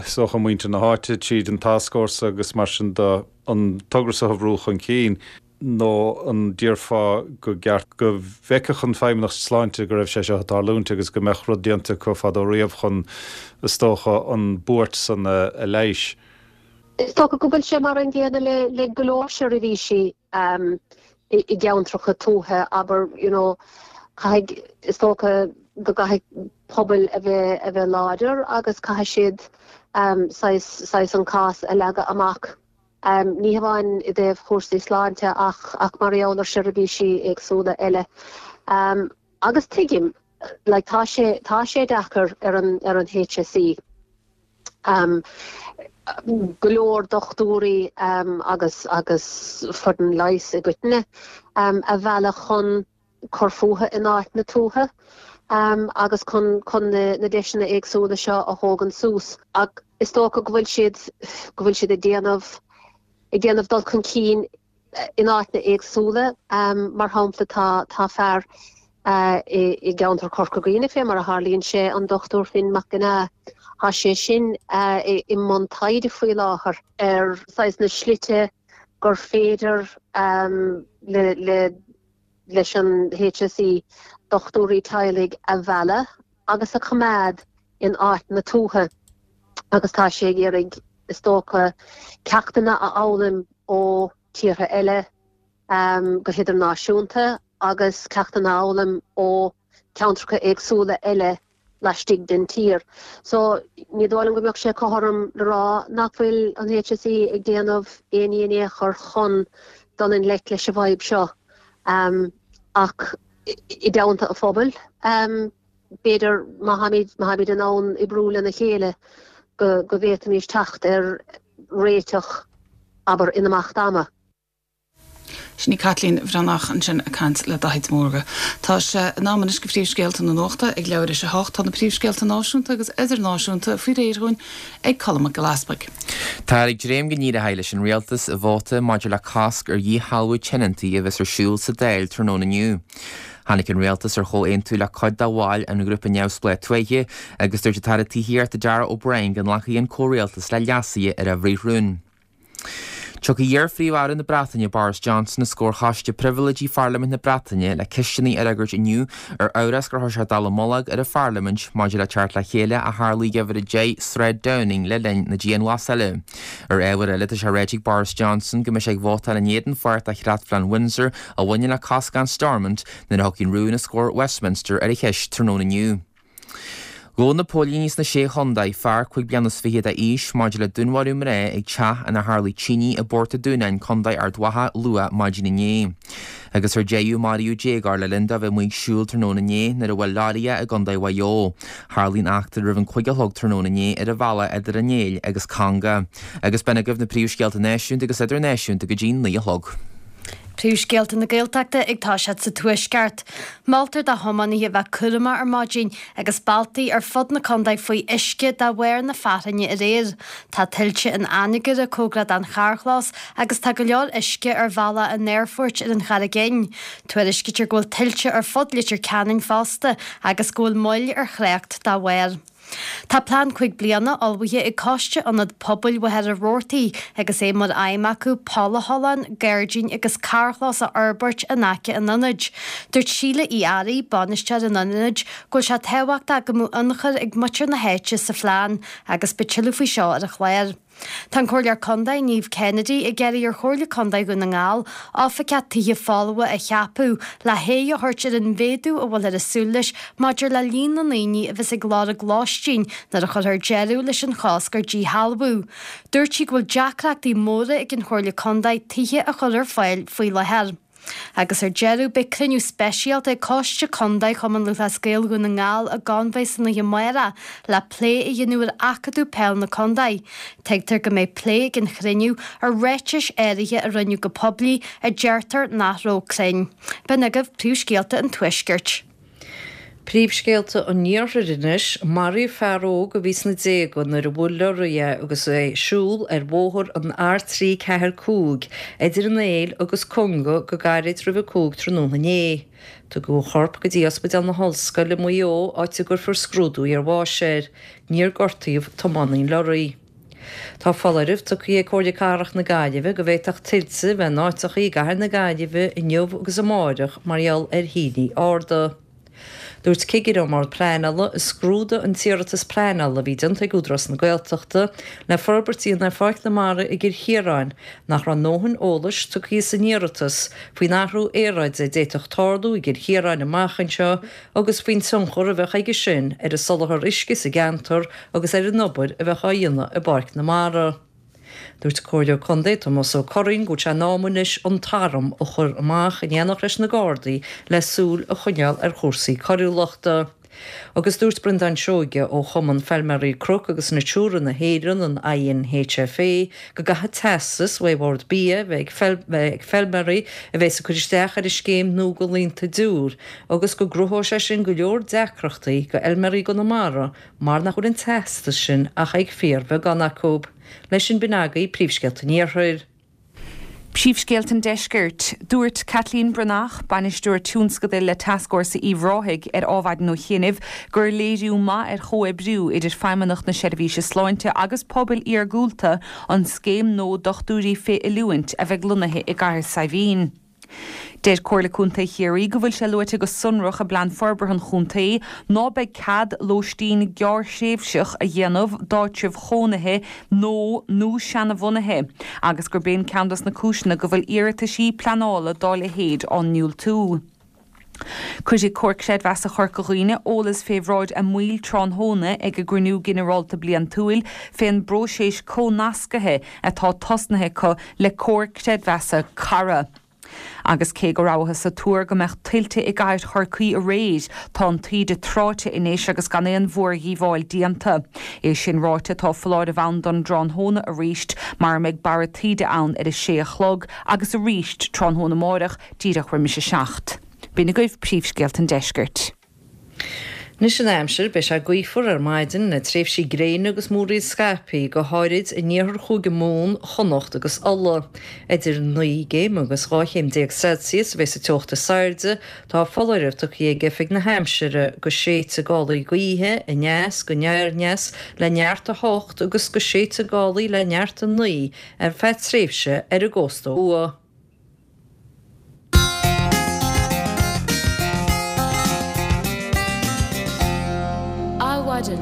is dócha muintir na háite tríd an tascfhórsa agus mar sin de an togra so a bhrú chun cinn? nó an déarfá go gceart go bhfeicfeadh an Feidhmeannacht Sláinte go raibh sé seo ag tarlúint agus go mbeadh rud déanta acu fadó riamh chun, is dócha, an buairt san a leigheas? Is dócha go bhfuil sé mar an gcéanna le le go leor seirbhísí i gceantracha tuaithe, abair, you know, caithfidh, is dócha go gcaithfidh pobail a bheith a bheith láidir agus caithfidh siad saghas saghas an cás a leagadh amach. Ní hamháin i dtaobh chúrsaí sláinte ach ach mar gheall ar sheirbhísí éagsúla eile. Agus tuigim, like tá sé, tá sé deacair ar an, ar an HSE. Go leor dochtúirí agus, agus foireann leighis i gcoitinne a mhealladh chun cur fúthu in áit na tuaithe agus chun chun na deiseanna éagsúla seo a thógaint suas. Ach is dócha go bhfuil siad, go bhfuil siad ag déanamh, ag déanamh dul chun cinn in áiteanna éagsúla. Mar shampla tá, tá fear i gceantar Chorca Dhuibhne fé mar a tharlaíonn sé, an Dr Finn Mac Con Ádha, tá sé sin i mbun taighde faoi láthair ar saghas na slite gur féidir le, le, leis an HSE dochtúirí teaghlaigh a mhealladh agus a choimeád in áiteanna tuaithe agus tá sé ag iarraidh, is dócha, ceachtanna a fhoghlaim ó tíortha eile go hidirnáisiúnta agus ceachtanna a fhoghlaim ó cheantracha éagsúla eile laistigh den tír. So, ní dóigh liom go mbeadh sé cothrom le rá nach bhfuil an HSE ag déanamh aon ní in aon chor chun dul i ngleic leis an bhfadhb seo. Ach i dteannta an phobail, b'fhéidir, má tháimid, má tháimid in ann oibriú lena chéile go, go bhféadfaimis teacht ar réiteach, abair, in imeacht ama. Sin í Caitlín Bhreathnach ansin ag caint le Daithí de Mórdha. Tá sé in am anois go phríomhscéalta na nuachta ag leathuair théis a hocht. Tá na príomhscéalta náisiúnta agus idirnáisiúnta faoi réir dhúinn ag Colm Mac Giolla Easpaig. Táthar ag dréim go n-éireoidh leis an Rialtas i vóta maidir le cosc ar dhíshealbhú tionóntaí a bheas ar siúl sa Dáil tráthnóna inniu. Tháinig an Rialtas ar chomhaontú le cuid de bhaill an ghrúpa neamhspleách tuaithe agus dúirt an tAire Tithíochta Darragh O'Brien go nglacfaidh an comhrialtas le leasuithe ar a bhfrithrún. Tiocfaidh iar-Phríomh-Aire na Breataine Boris Johnson os comhair Choiste Pribhléidí Pharlaimint na Breataine le ceisteanna a fhreagairt inniu ar amhras gur chuir sé dallamullóg ar an Pharlaimint maidir le teacht le chéile a tharla ag Uimhir 10 Sráid Downing le linn na dianghlasála. Ar ábhar eile, tá sé ráite ag Boris Johnson go mbeidh sé ag vótáil in éadan pháirt de chreatphlean Windsor a bhaineann le cosc an Stormont nuair a thiocfaidh an rún os comhair Westminster ar an cheist tráthnóna inniu. Ghabh na póilíní sna Sé Chontae fear 25 bliana d'aois maidir le dúnmharú mná ag teach inar tharlaigh tine i bPort a' Dúnáin, Contae Ard Mhacha, luath maidin inné. Agus ar deireadh, maraíodh déagóir le linn dó bheith amuigh ag siúl tráthnóna inné nuair a bhuail leoraí é i gContae Mhaigh Eo. Tharlaigh an eachtra roimh an 5 a chlog tráthnóna inné ar an bhealach idir an Éill agus Conga. Agus b'in agaibh na príomhscéalta náisiúnta agus idirnáisiúnta go dtí 9 a chlog. Príomhscéalta na Gaeltachta ag toiseacht sa Tuaisceart. Moltar do thiománaithe a bheith cúramach ar maidin agus bealtaí ar fud na contae faoi uisce de bharr na fearthainne aréir. Tá tuilte in Anagaire cóngarach don charrchlós agus tá go leor uisce ar bhealach an aerfoirt ar an Charraig Fhinn. Tuairiscítear go bhfuil tuilte ar fud Leitir Ceanainn fosta agus go bhfuil moill ar thrácht dá bharr. Tá plean 5 bliana ullmhaithe ag Coiste Ionad Pobail Mhachaire Rabhartaigh agus é mar aidhm acu poll a tholláin, gairdín agus carrchlós a fhorbairt in aice an ionaid. Dúirt Síle Uí Fhearraigh, bainisteoir an ionaid, go bhfuil sé tábhachtach go mbeadh ionchur ag muintir na háite sa phlean agus beidh tuilleadh faoi seo ar an chlár. Tá an Comhairleoir Contae, Niamh Kennedy, ag iarraidh ar Chomhairle Contae Dhún na nGall oifigeach tithe folmha a cheapadh le haghaidh a thabhairt ar an mhéadú a bhfuilthear ag súil leis maidir le líon na ndaoine a bheas ag lorg lóistín nuair a chuirfear deireadh leis an chosc ar díshealbhú. Dúirt sí go bhfuil deacrachtaí móra ag an Chomhairle Contae tithe a chur ar fáil faoi láthair. Agus ar deireadh, beidh cruinniú speisialta ag Coiste Contae Chumann Lúthchleas Gael Dhún na nGall i gConmhaigh san oíche amárach le plé a dhéanamh ar Acadamh Peil na Contae. Tuigtear go mbeidh plé ag an chruinniú ar ráitis áirithe a rinneadh go poiblí a deirtear nach raibh cruinn. B'in agaibh príomhscéalta an Tuaiscirt. Príomhscéalta an Iarthair anois, Maraíodh fear óg a bhí sna déaga nuair a bhuail leoraí é agus é ag siúl ar bhóthar an R345 idir an Éill agus Conga go gairid roimh a 5 tráthnóna inné. Tugadh a chorp go dtí Ospidéal na hOllscoile i Maigh Eo áit a gcuirfear scrúdú iarbháis air. Níor gortaíodh tiománaí an leoraí. Tá foláireamh tugtha ag Comhairle Cathrach na Gaillimhe go bhféadfadh tuilte a bheith in áiteacha i gcathair na Gaillimhe inniu agus amáireach mar gheall ar thaoillí arda. Dúirt cigire ón mBord Pleanála a scrúdaigh an t-iarratas pleanála a bhí déanta ag Údarás na Gaeltachta le forbairt a dhéanamh ar Pháirc na Mara i gCill Chiaráin nach raibh a ndóthain eolais tugtha san iarratas faoin athrú aeráide a d'fhéadfadh tarlú i gCill Chiaráin amach anseo agus faoin tionchar a bheadh aige sin ar an soláthar uisce sa gceantar agus ar an obair a bheadh á dhéanamh i bPáirc na Mara. Dúirt an Comhairleoir Contae Tomás Ó Curraoin go bhfuil sé in am anois an t-arm a chur amach in éineacht leis na Gardaí le súil a choinneáil ar chúrsaí coiriúlachta. Agus dúirt Breandán Seoige ó Chumann Feilméaraí Cnoc agus Natura na hÉireann, an INHFA, go gcaithfidh teastas ó Bhord Bia a bheith ag feilméaraí a bheas ag cur isteach ar an scéim nua go laethanta diúir agus go gcruthóidh sé sin go leor deacrachtaí go fheilméaraí i gConamara mar nach bhfuil an teastas sin ach ag fíorbheagán acu. Leis sin b'in agaibh príomhscéalta an Iarthair. Príomhscéalta an Deiscirt. Dúirt Caitlín Breathnach, Bainisteoir Tionscadail le Tascfhórsa Uíbh Ráthaigh ar Adhmhaidin ó chianaibh gur léiriú maith ar chomhoibriú idir Feidhmeannacht na Seirbhíse Sláinte agus pobail iargúlta an scéim nua dochtúirí fé oiliúint a bheidh lonnaithe i gCathair Saidhbhín. Deir Comhairle Contae Chiarraí go bhfuil sé luaite go sonrach i bPlean Forbartha an Chontae ná beidh cead lóistín gearrthréimhseach a dhéanamh d'áitribh chónaithe nó nó seanabhunaithe agus gurb é ceann dos na cúiseanna go bhfuil iarrataisí pleanála dá leithéid á ndiúltú. Cuirfidh Comhar Creidmheasa Chorca Dhuibhne eolas fé bhráid a mbaill tráthnóna ag a gcruinniú ginearálta bliantúil fén bpróiseas comhnascaithe atá tosnaithe acu le Comhar Creidmheasa Cara. Agus cé go rabhthas ag tuar go mbeadh tuilte i gcathair Chorcaí aréir, tá an taoide tráite anois agus gan aon mhórdhíobháil déanta. É sin ráite, tá foláireamh ann don dtráthnóna arís mar a mbeidh barra taoide ann ar a sé a chlog agus arís tráthnóna amáireach díreach roimis a 7. B'in agaibh príomhscéalta an deiscirt. Anois an aimsir, beidh sé gaofar ar maidin le tréimhsí gréine agus múraíl scaipthe, go háirid in iarthar Chúige Mumhan, Chonnacht agus Uladh. Idir 9 gcéim agus 12 chéim Celsius a bheas an teocht is airde. Tá foláireamh tugtha ag Oifig na hAimsire go séidfidh gálaí gaoithe aneas go aniar aneas le neart 8 agus go séidfidh gálaí le neart 9 ar feadh tréimhse ar an gcósta ó thuaidh. Adhmhaidin.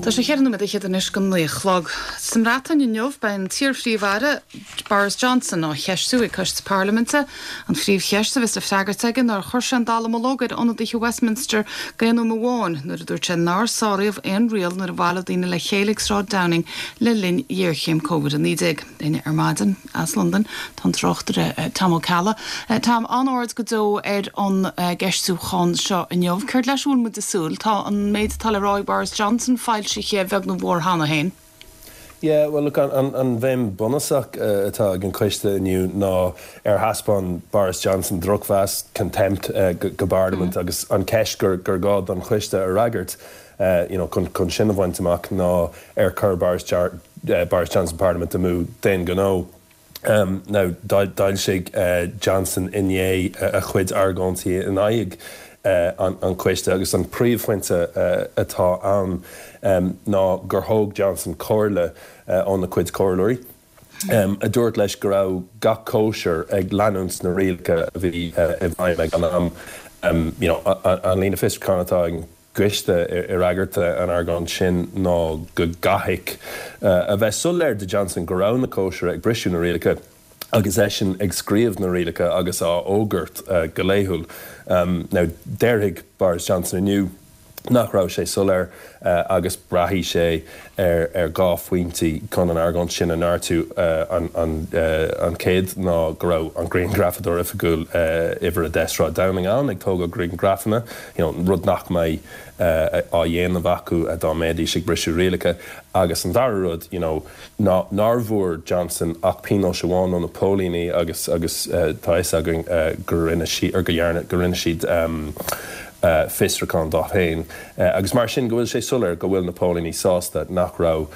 Tá sé cheithre nóiméad fhichead anois go 9 a chlog. Sa mBreatain inniu beidh an t-iar-phríomh-aire Boris Johnson á cheistiú ag coiste parlaiminte. An phríomhcheist a bheas le freagairt aige ná ar chuir sé an dallamullóg ar ionadaithe Westminster d'aon uaim amháin nuair a dúirt sé nár sáraíodh aon riail nuair a bhailigh daoine le chéile ag Sráid Downing le linn ghéarchéim Covid-19. Linn ar maidin as Londain tá an tráchtaire Tom Ó Ceallaigh. Tom, an-aird go deo ar an gceistiúchán seo inniu. Céard leis a bhfuil muid ag súil? Tá an méid atá le rá ag Boris Johnson foilsithe beag nó mhór cheana féin. Yeah, bhuel look, an bhéim bunúsach atá ag an choiste inniu ná ar thaispeáin Boris Johnson drochmheas, contempt, go bParlaimint agus an cheist gur gá don choiste a fhreagairt you know, chun sin a bhaint amach ná ar chuir Boris Boris Johnson Parlaimint amú d'aon ghnó. Now, d'fhoilsigh Johnson inné a chuid argóintí in aghaidh an choiste agus an príomhphointe atá ann ná gur thóg Johnson comhairle óna chuid comhairleoirí a dúirt leis go raibh gach cóisir ag leanúint na rialacha a bhí i bhfeidhm ag an am. You know, an líne fiosrúcháin atá ag an gcoiste i bhfreagairt an argóint sin ná go gcaithfeadh a bheith soiléir do Johnson go raibh na cóisirí ag briseadh na rialacha agus eisean ag scríobh na rialacha agus á fhógairt go laethúil. Now déarfaidh Boris Johnson inniu nach raibh sé soiléir agus braithfidh sé ar dhá phointe chun an argóint sin a neartú. An chéad ná go raibh an grianghrafadóir oifigiúil uimhir 10 Sráid Downing ann ag tógáil grianghrafanna, you know, rud nach mbeidh á dhéanamh acu dá mbeidís ag briseadh rialacha. Agus an dara rud, you know, ná nár bhfuair Johnson ach pionós amháin ó na póilíní agus agus tá a fhios againn go rinne sí, or go dhearna, go rinne siad fiosrúchán dó féin agus mar sin go bhfuil sé soiléir go bhfuil na póilíní sásta nach raibh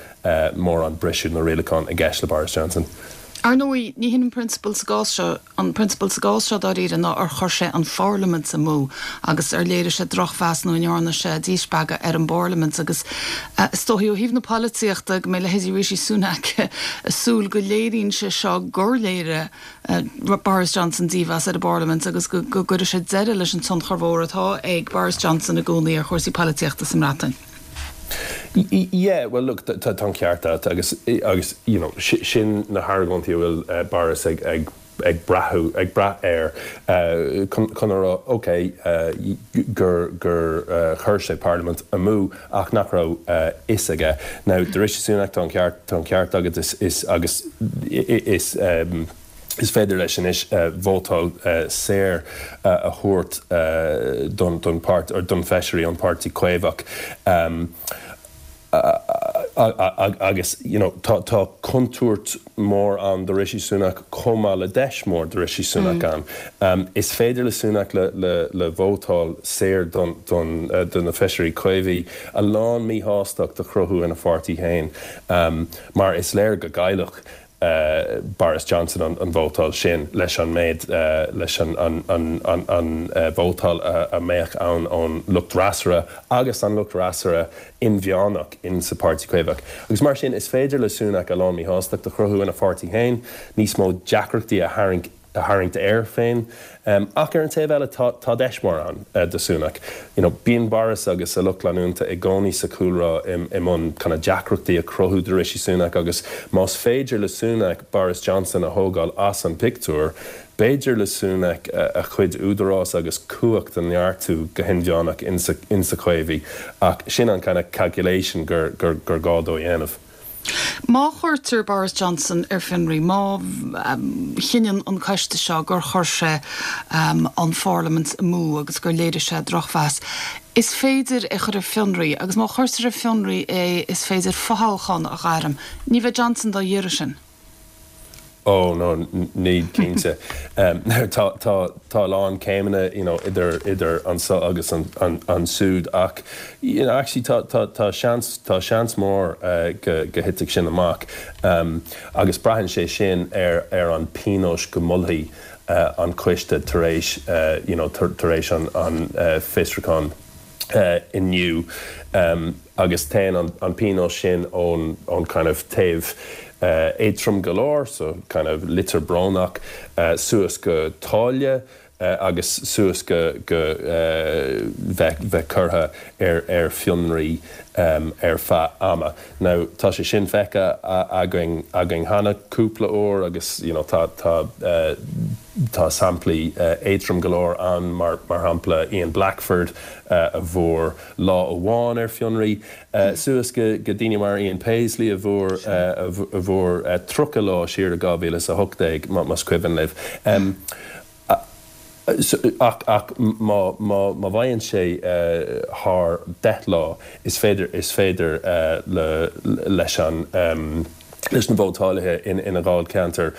mórán briseadh na rialachán i gceist le Boris Johnson. Ar ndóigh, ní hin an prionsabal sa gcás seo. An prionsabal sa gcás seo, dáiríre, ná ar chuir sé an pharlaimint amú agus ar léirigh sé drochmheas nó an ndearna sé díspeagadh ar an bparlaimint agus is dóichí ó thaobh na polaitíochta go mbeidh leithéidí Rishi Sunak ag súil go léiríonn sé seo gur léirigh Boris Johnson dímheas ar an bparlaimint agus go gcuirfidh sé deireadh leis an tionchar mhór atá ag Boris Johnson i gcónaí ar chúrsaí polaitíochta sa mBreatain. Yeah, well look, tá an ceart agat agus, agus you know, sin na hargóintí a bhfuil Boris ag. ag brath ag brath air chun a rá ok gur gur chuir sé parlaimint amú ach nach raibh a fhios aige. Now do Rishi Sunak tá an ceart tá an ceart agat is is agus is is féidir leis anois vótáil saor a thabhairt don don páirt or don feisirí ón Páirtí Caomhach. Agus you know tá tá contúirt mhór ann do Rishi Sunak chomh maith le deis mhór do Rishi Sunak ann. Is féidir le Sunak le le le vótáil saor don don do na feisirí Caomhaigh a lán míshástacht a chruthú ina pháirtí féin mar is léir go gcaillfeadh Boris Johnson an vótáil sin leis an méid, leis an vótáil a mbeadh ann ón lucht fhreasúra agus an lucht fhreasúra inmheánach in sa Páirtí Caomhach. Agus mar sin, is féidir le Sunak a lán míshástacht a chruthú ina pháirtí féin, níos mó deacrachtaí a tharraingt a tharraingt air féin. Ach ar an taobh eile, tá tá deis mhór ann do Sunak. You know, bíonn Boris agus a lucht leanúnta i gcónaí sa chúlra i i mbun kind of deacrachtaí a chruthú do Rishi Sunak agus más féidir le Sunak Boris Johnson a thógáil as an pictiúr, b'fhéidir le Sunak a chuid údarás agus cumhacht a neartú go hinmheánach insa insa Chaomhaigh. Ach sin an kind of calculation gur gur gur gá dó a dhéanamh. Má chuirtear Boris Johnson ar fionraí, má chinneann an coiste seo gur chuir sé an pharlaimint amú agus gur léirigh sé drochmheas, is féidir é a chur ar fionraí agus má chuirtear ar fionraí é is féidir fothoghchán a ghairm. Ní bheidh Johnson dá iarraidh sin. Oh no, ní cinnte. Tá tá tá a lán céimeanna you know idir idir anso agus an an ansúd ach you know actually tá tá tá seans tá seans mór go go thitfidh sin amach agus braitheann sé sin ar ar an pionós go molfaidh an coiste tar éis you know tar tar éis an an fiosrúchán. inniu agus téann an pionós sin ón ón kind of taobh éadtrom go leor, so kind of litir brónach, suas go táille agus suas go go bheith bheith curtha ar ar fionraí ar feadh ama. Now tá sé sin feicthe againn againn cheana cúpla uair agus you know tá tá Tá samplaí éadtrom go leor ann, mar shampla Ian Blackford a bhfuair lá amháin ar fionraí, suas go daoine mar Ian Paisley a bhfuair a bhfuair 30 lá siar i 2018, más cuimhin libh. Ach ach má má bhfaigheann sé thar 10 lá, is féidir is féidir le leis an leis na vótálaithe ina dháilcheantar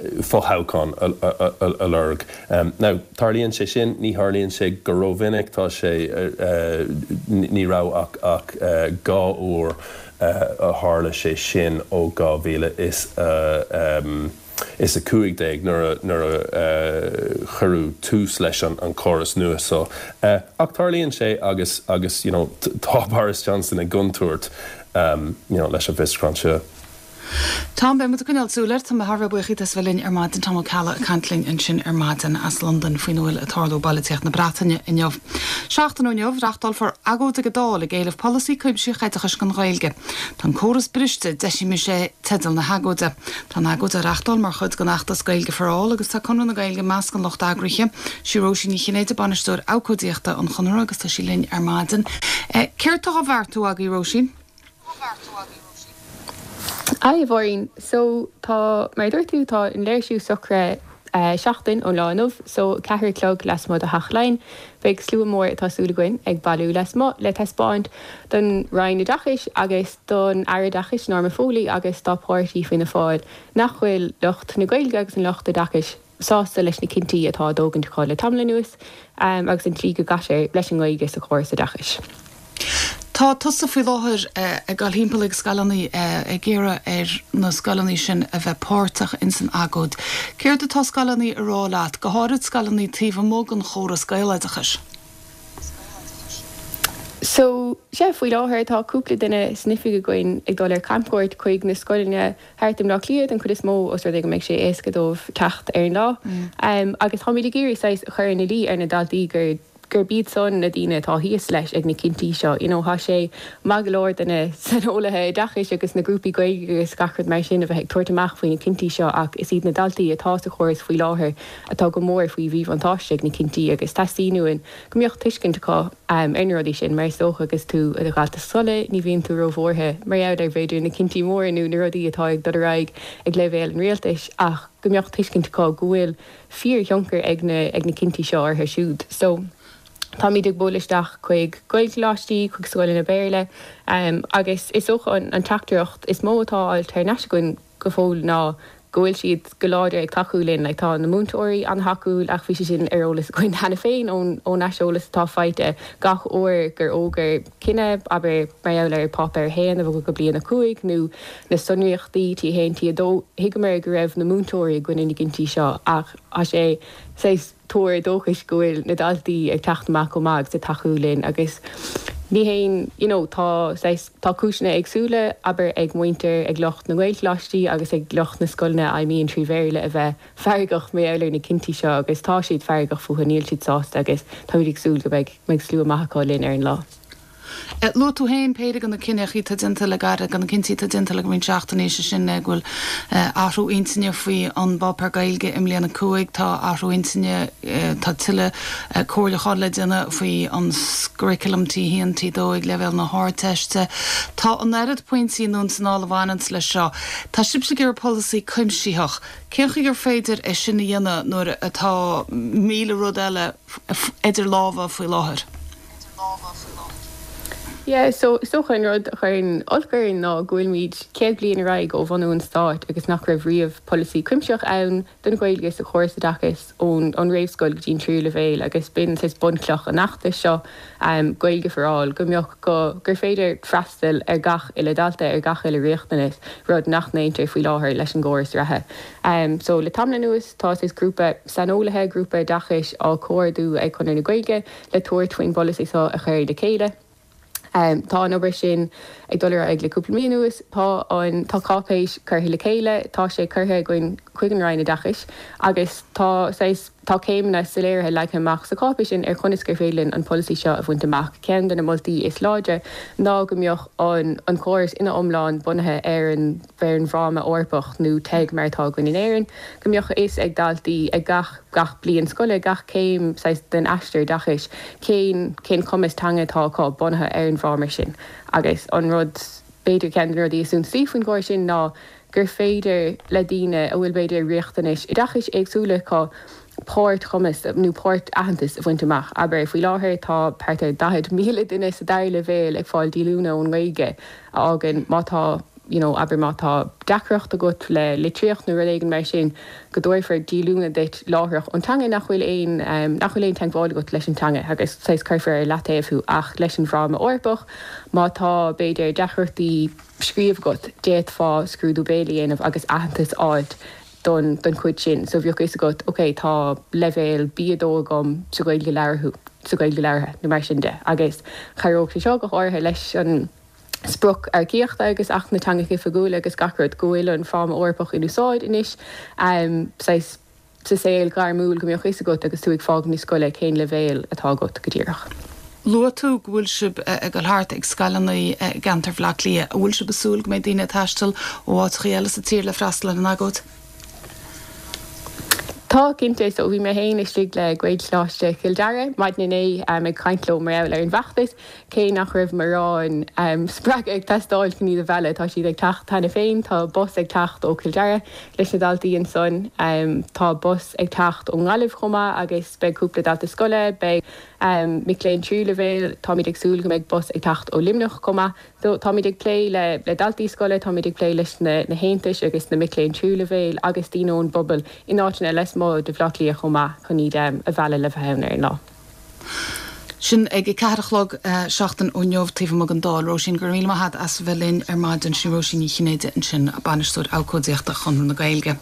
fothoghchán a lorg. Now, tarlaíonn sé sin, ní tharlaíonn sé go rómhinic, tá sé, ní raibh ach ach 2 uair a tharla sé sin ó 2015 nuair a nuair a cuireadh tús leis an córas nua so. Ach tarlaíonn sé agus agus you know tá Boris Johnson i gcontúirt you know leis an bhfiosrúchán seo. Tom, beidh muid ag coinneáil súil air. Tá mé thar a bheith buíoch díot as bheith linn ar maidin. Tom Ó Ceallaigh ag caint linn ansin ar maidin as Londain faoina bhfuil ag tarlú i bpolaitíocht na Breataine inniu. Seachtain ó inniu, reachtálfar agóid ag an Dáil ag éileamh polasaí cuimsitheach oideachais don Ghaeilge. Tá an córas briste, deisímis é, teideal na hagóide. Tá an agóid á reachtáil mar chuid den fheachtas Gaeilge for All agus tá Conradh na Gaeilge i measc an lucht eagraithe. Sí Róisín Ní Chinnéide bainisteoir abhcóidíochta an Chonartha agus tá sí linn ar maidin. Céard tá á bheartú agaibh, Róisín? Hi, a Mháirín. So, tá, mar a dúirt tú, tá an léirsiú socraithe seachtain ón lá inniu, so 4 a chlog lasmuigh de Theach Laighean. Beidh slua mór, atá súil againn, ag bailiú lasmuigh le taispeáint don Roinn Oideachais agus don Aire Oideachais Norma Foley agus dá páirtí Fianna Fáil nach bhfuil lucht na Gaeilge agus an lucht oideachais sásta leis na cinntí atá á dtógaint acu le tamall anuas agus an tslí go gcaitear leis an nGaeilge sa chóras oideachais. Tá tusa faoi láthair ag dul thimpeall ag scoileanna ag iarraidh ar na scoileanna sin a bheith páirteach ins an agóid. Céard atá scoileanna a rá leat, go háirid scoileanna taobh amuigh den chóras Gaeloideachais? So, sea, faoi láthair tá cúpla duine san oifig againn ag dul ar camchuairt chuig na scoileanna thart i mBleá Cliath den chuid is mó os rud é go mbeidh sé éasca dóibh teacht ar an lá. Agus táimid ag iarraidh saghas a chur ina luí ar na daltaí gur. gurb iad san na daoine atá thíos leis ag na cinntí seo. You know, tá sé maith go leor do na saineolaithe oideachais agus na grúpaí Gaeilge agus gach rud mar sin a bheith ag tabhairt amach faoi na cinntí seo ach is iad na daltaí atá sa chóras faoi láthair atá go mór faoi mhíbhuntáiste ag na cinntí agus teastaíonn uainn go mbeadh tuiscint acu ar na rudaí sin mar is dócha agus tú i do dhalta scoile ní bhíonn tú róbhuartha mar gheall ar b'fhéidir na cinntí móra nó na rudaí atá ag dul ar aghaidh ag leibhéal an rialtais ach go mbeadh tuiscint acu go bhfuil fíorthionchar ag na ag na cinntí seo orthu siúd. So, táimid ag bualadh isteach chuig Gaelcholáistí, chuig scoileanna Béarla agus is dócha an an teachtaireacht is mó atá á fháil thar n-ais againn go fóill ná go bhfuil siad go láidir ag tacú linn. Like tá na múinteoirí an-tacúil ach bhí sé sin ar eolas againn cheana féin ón ón aiseolas atá faighte gach uair gur fhógair cinneadh, abair mar gheall ar Páipéar 1 a bhogadh go bliain 5 nó na sonraíochtaí T1, T2, thuigeamar go raibh na múinteoirí i gcoinne na gcinntí seo ach tá sé saghas tuar dóchais go bhfuil na daltaí ag teacht amach chomh maith agus ag tacú linn agus ní haon you know tá saghas tá cúiseanna éagsúla abair ag muintir ag lucht na nGaelcholáistí agus ag lucht na scoileanna a fheidhmíonn trí Bhéarla a bheith feargach mar gheall ar na cinntí seo agus tá siad feargach fúthu níl siad sásta agus táimid ag súil go mbeidh mbeidh slua maith acu linn ar an lá. Luaigh tú féin péire de na cinneachaí atá déanta le gairid, de na cinntí atá déanta le roinnt seachtainí, sé sin go bhfuil athrú intinne faoi an bpáipéar Gaeilge i mbliain 5, tá athrú intinne, tá tuilleadh comhairliúcháin le déanamh faoi an gcurriculum T1, T2 ag leibhéal na hArdteiste. Tá an oiread pointí anonn is anall a bhaineanns leis seo. Tá sibhse ag iarraidh polasaí cuimsitheach. Cén chaoi gur féidir é sin a dhéanamh nuair atá 1,000 rud eile idir lámha faoi láthair? Yeah, so is dócha an rud a chuireann olc orainn ná go bhfuilimid 100 bliain ar aghaidh ó bhunú an stáit agus nach raibh riamh polasaí cuimsitheach ann don Ghaeilge sa chóras oideachais ón ón réamhscoil go dtí an tríú leibhéal agus b'in saghas bunchloch an fheachtais seo, Gaeilge for All, go mbeadh go gur féidir freastal ar gach uile dalta, ar gach uile riachtanas, rud nach ndéantar faoi láthair leis an gcóras reatha. So le tamall anuas tá saghas grúpa saineolaithe, grúpa oideachais á chomhordú ag Conradh na Gaeilge, le tabhairt faoin bpolasaí seo a chur le chéile. Tá an obair sin ag dul ar aghaidh le cúpla mí anuas. Tá an, tá cáipéis curtha le chéile, tá sé curtha againn chuig an Roinn Oideachais agus tá saghas, tá céimeanna soiléirithe leagtha amach sa cháipéis sin ar chonas gur féidir linn an polasaí seo a bhaint amach. Ceann de na moltaí is láidre ná go mbeadh an, an córas ina iomlán bunaithe ar an, ar an bhFráma Eorpach nó TEG mar atá againn in Éirinn, go mbeadh a fhios ag daltaí ag gach. gach bliain scoile, gach céim saghas den aistear oideachais, cén cén cumas teanga atá acu bunaithe ar an bhfráma sin. Agus an rud, b'fhéidir ceann de na rudaí is suntasaí faoin gcóras sin ná gur féidir le daoine a bhfuil b'fhéidir riachtanais oideachais éagsúla acu páirt-chumas nó páirt-aitheantas a bhaint amach. Abair, faoi láthair tá thart ar 40,000 duine sa dara leibhéal ag fáil díolúine ón nGaeilge a fhágann má tá you know abair má tá deacracht agat le litríocht nó rud éigin mar sin, go dtabharfar díolúine duit láithreach ón teanga nach bhfuil aon, nach bhfuil aon teagmháil agat leis an teanga agus saghas cuirfear ar leataobh thú ach leis an bhFráma Eorpach má tá b'fhéidir deacrachtaí scríobh agat d'fhéadfá scrúdú béil a dhéanamh agus aitheantas a fháilt don don chuid sin so bheadh fhios agat ok tá leibhéal B2 agam sa Ghaeilge labhartha sa Ghaeilge labhartha nó mar sin de agus chabhródh sé seo go háirithe leis an sprioc earcaíochta agus Acht na dTeangacha Oifigiúla agus gach rud, go bhfuil an Fráma Eorpach in úsáid anois saghas sa saol gairmiúil, go mbeadh a fhios agat agus tú ag fágaint na scoile cén leibhéal atá agat go díreach. Luaigh tú go bhfuil sibh ag dul thart ag scoileanna i gceantar Bhaile Átha Cliath. An bhfuil sibh ag súil go mbeidh daoine ag taisteal ó áiteachaí eile sa tír le freastal ar an agóid? Tá, cinnte. So bhí mé féin istigh le Gaelcholáiste Chill Dara maidin inné ag caint leo mar gheall ar an bhfeachtas. Cé nach raibh mórán spreagadh ag teastáil chun iad a mhealladh, tá siad ag teacht cheana féin. Tá bus ag teacht ó Chill Dara leis na daltaí ansan. Tá bus ag teacht ón nGaillimh chomh maith agus beidh cúpla dalta scoile, beidh mic léinn tríú leibhéal. Táimid ag súil go mbeidh bus ag teacht ó Luimneach chomh maith. So, táimid ag plé le le daltaí scoile, táimid ag plé leis na na haontais agus na mic léinn tríú leibhéal agus daoine ón bpobal in áiteanna lasmuigh de Bhaile Átha Cliath chomh maith chun iad a mhealladh le bheith ann ar an lá. Sin ag a 4 a chlog seachtain ó inniu taobh amuigh den Dáil. Róisín, go raibh míle maith agat as a bheith linn ar maidin. Sin Róisín Ní Chinnéide ansin, Bainisteoir Abhcóideachta Chonradh na Gaeilge.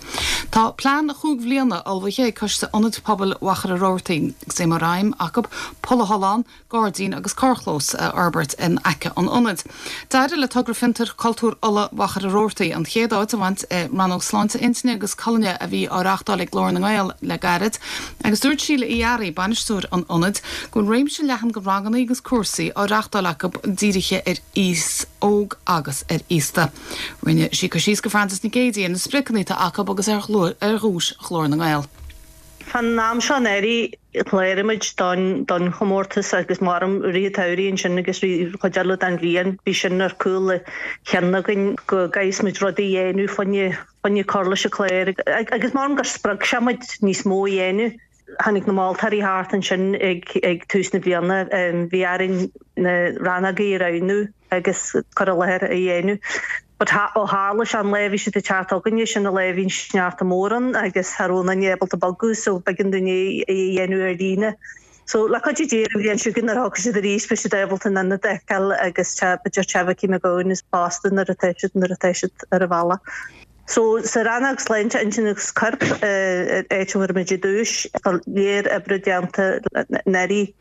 Tá plean chúig bhliana ullmhaithe ag Coiste Ionad Pobail Mhachaire Rabhartaigh agus é mar aidhm acu polathollán, gairdín agus carrchlós a fhorbairt in aice an ionaid. D'éirigh le Togra Fiontair Cultúir Uladh Mhachaire Rabhartaigh an chéad áit a bhaint i rannóg Sláinte Intinne agus Colainne a bhí á reáchtáil ag Glór na nGael le gairid agus dúirt Síle Uí Fhearraigh, bainisteoir an ionaid, go bhfuil réimse leathan de ranganna agus cúrsaí á reáchtáil acu dírithe ar aos óg agus ar aosta. Rinne sí cur síos do Frances Nic Géadaigh ar na spriocanna atá acu agus ar dhuais Ghlór na nGael. Fán am seo anuraidh chláraigh muid don chomórtas agus maram i rith an tsamhraidh ansin agus rith chuid eile den bhliain bhí sin ar cúl a chinn againn go gcaithfeas muid rudaí a dhéanamh fá choinne fá choinne cur leis an chlár agus maram gur spreag sé muid níos mó a dhéanamh. Tháinig na moltóirí thart ansin ag tús na bliana, bhí orainn na rannógaí a roghnú agus cur i láthair a dhéanamh. But ó tharla sé an lá a bhí siad ag teacht chugainne, sin an lá a bhí an sneachta mór ann agus cha raibh aon duine ábalta bogadh so b'éigean dúinn é a dhéanamh ar líne. So le cuidiú Dé ar an bhliain seo chugainn nuair a thiocfaidh siad arís beidh siad ábalta an ionad a fheiceáil agus b'fhéidir Teach Mhicí McGowan is fosta nuair atá siad nuair atá siad ar an bhealach. So sa rannóg sláinte intinne agus coirp, áit a bhfuair muid an duais, tá léar oibre déanta anuraidh.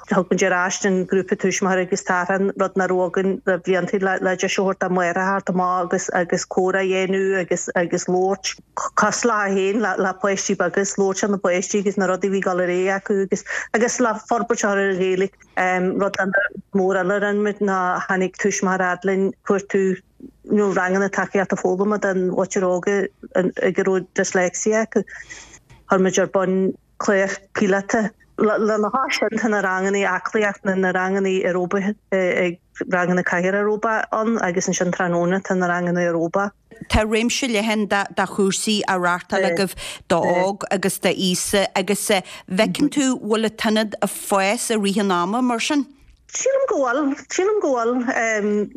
Thug muid ar ais an grúpa tuismitheoirí agus tachrán, rud nach raibh againn le blianta, le deis a thabhairt dá máithreacha theacht amach agus agus comhrá a dhéanamh agus agus labhairt cosúil leo féin le páistí beaga agus labhairt le na páistí agus na rudaí a bhí ag dul ar aghaidh acu agus agus le forbairt a chur ar an Ghaeilge. Rud mór eile a rinne muid ná tháinig tuismitheoir fhad linn cuartú nó ranganna tacaíochta foghlama don mhuintir óg ag a raibh dyslexia acu. Chuir muid ar bun clár píolóta. Lena chois sin tá na ranganna aclaíochta, na ranganna aeróbaithe ag ranganna cathaoir aeróbach ann agus ansin tráthnóna tá na ranganna aeróbach. Tá réimse leathan de chúrsaí á reáchtáil agaibh d'óg agus d'aosta agus bhfeiceann tú bhfuil an t-ionad ag fás i rith an ama mar sin? Sílim go bhfuil. Sílim go bhfuil.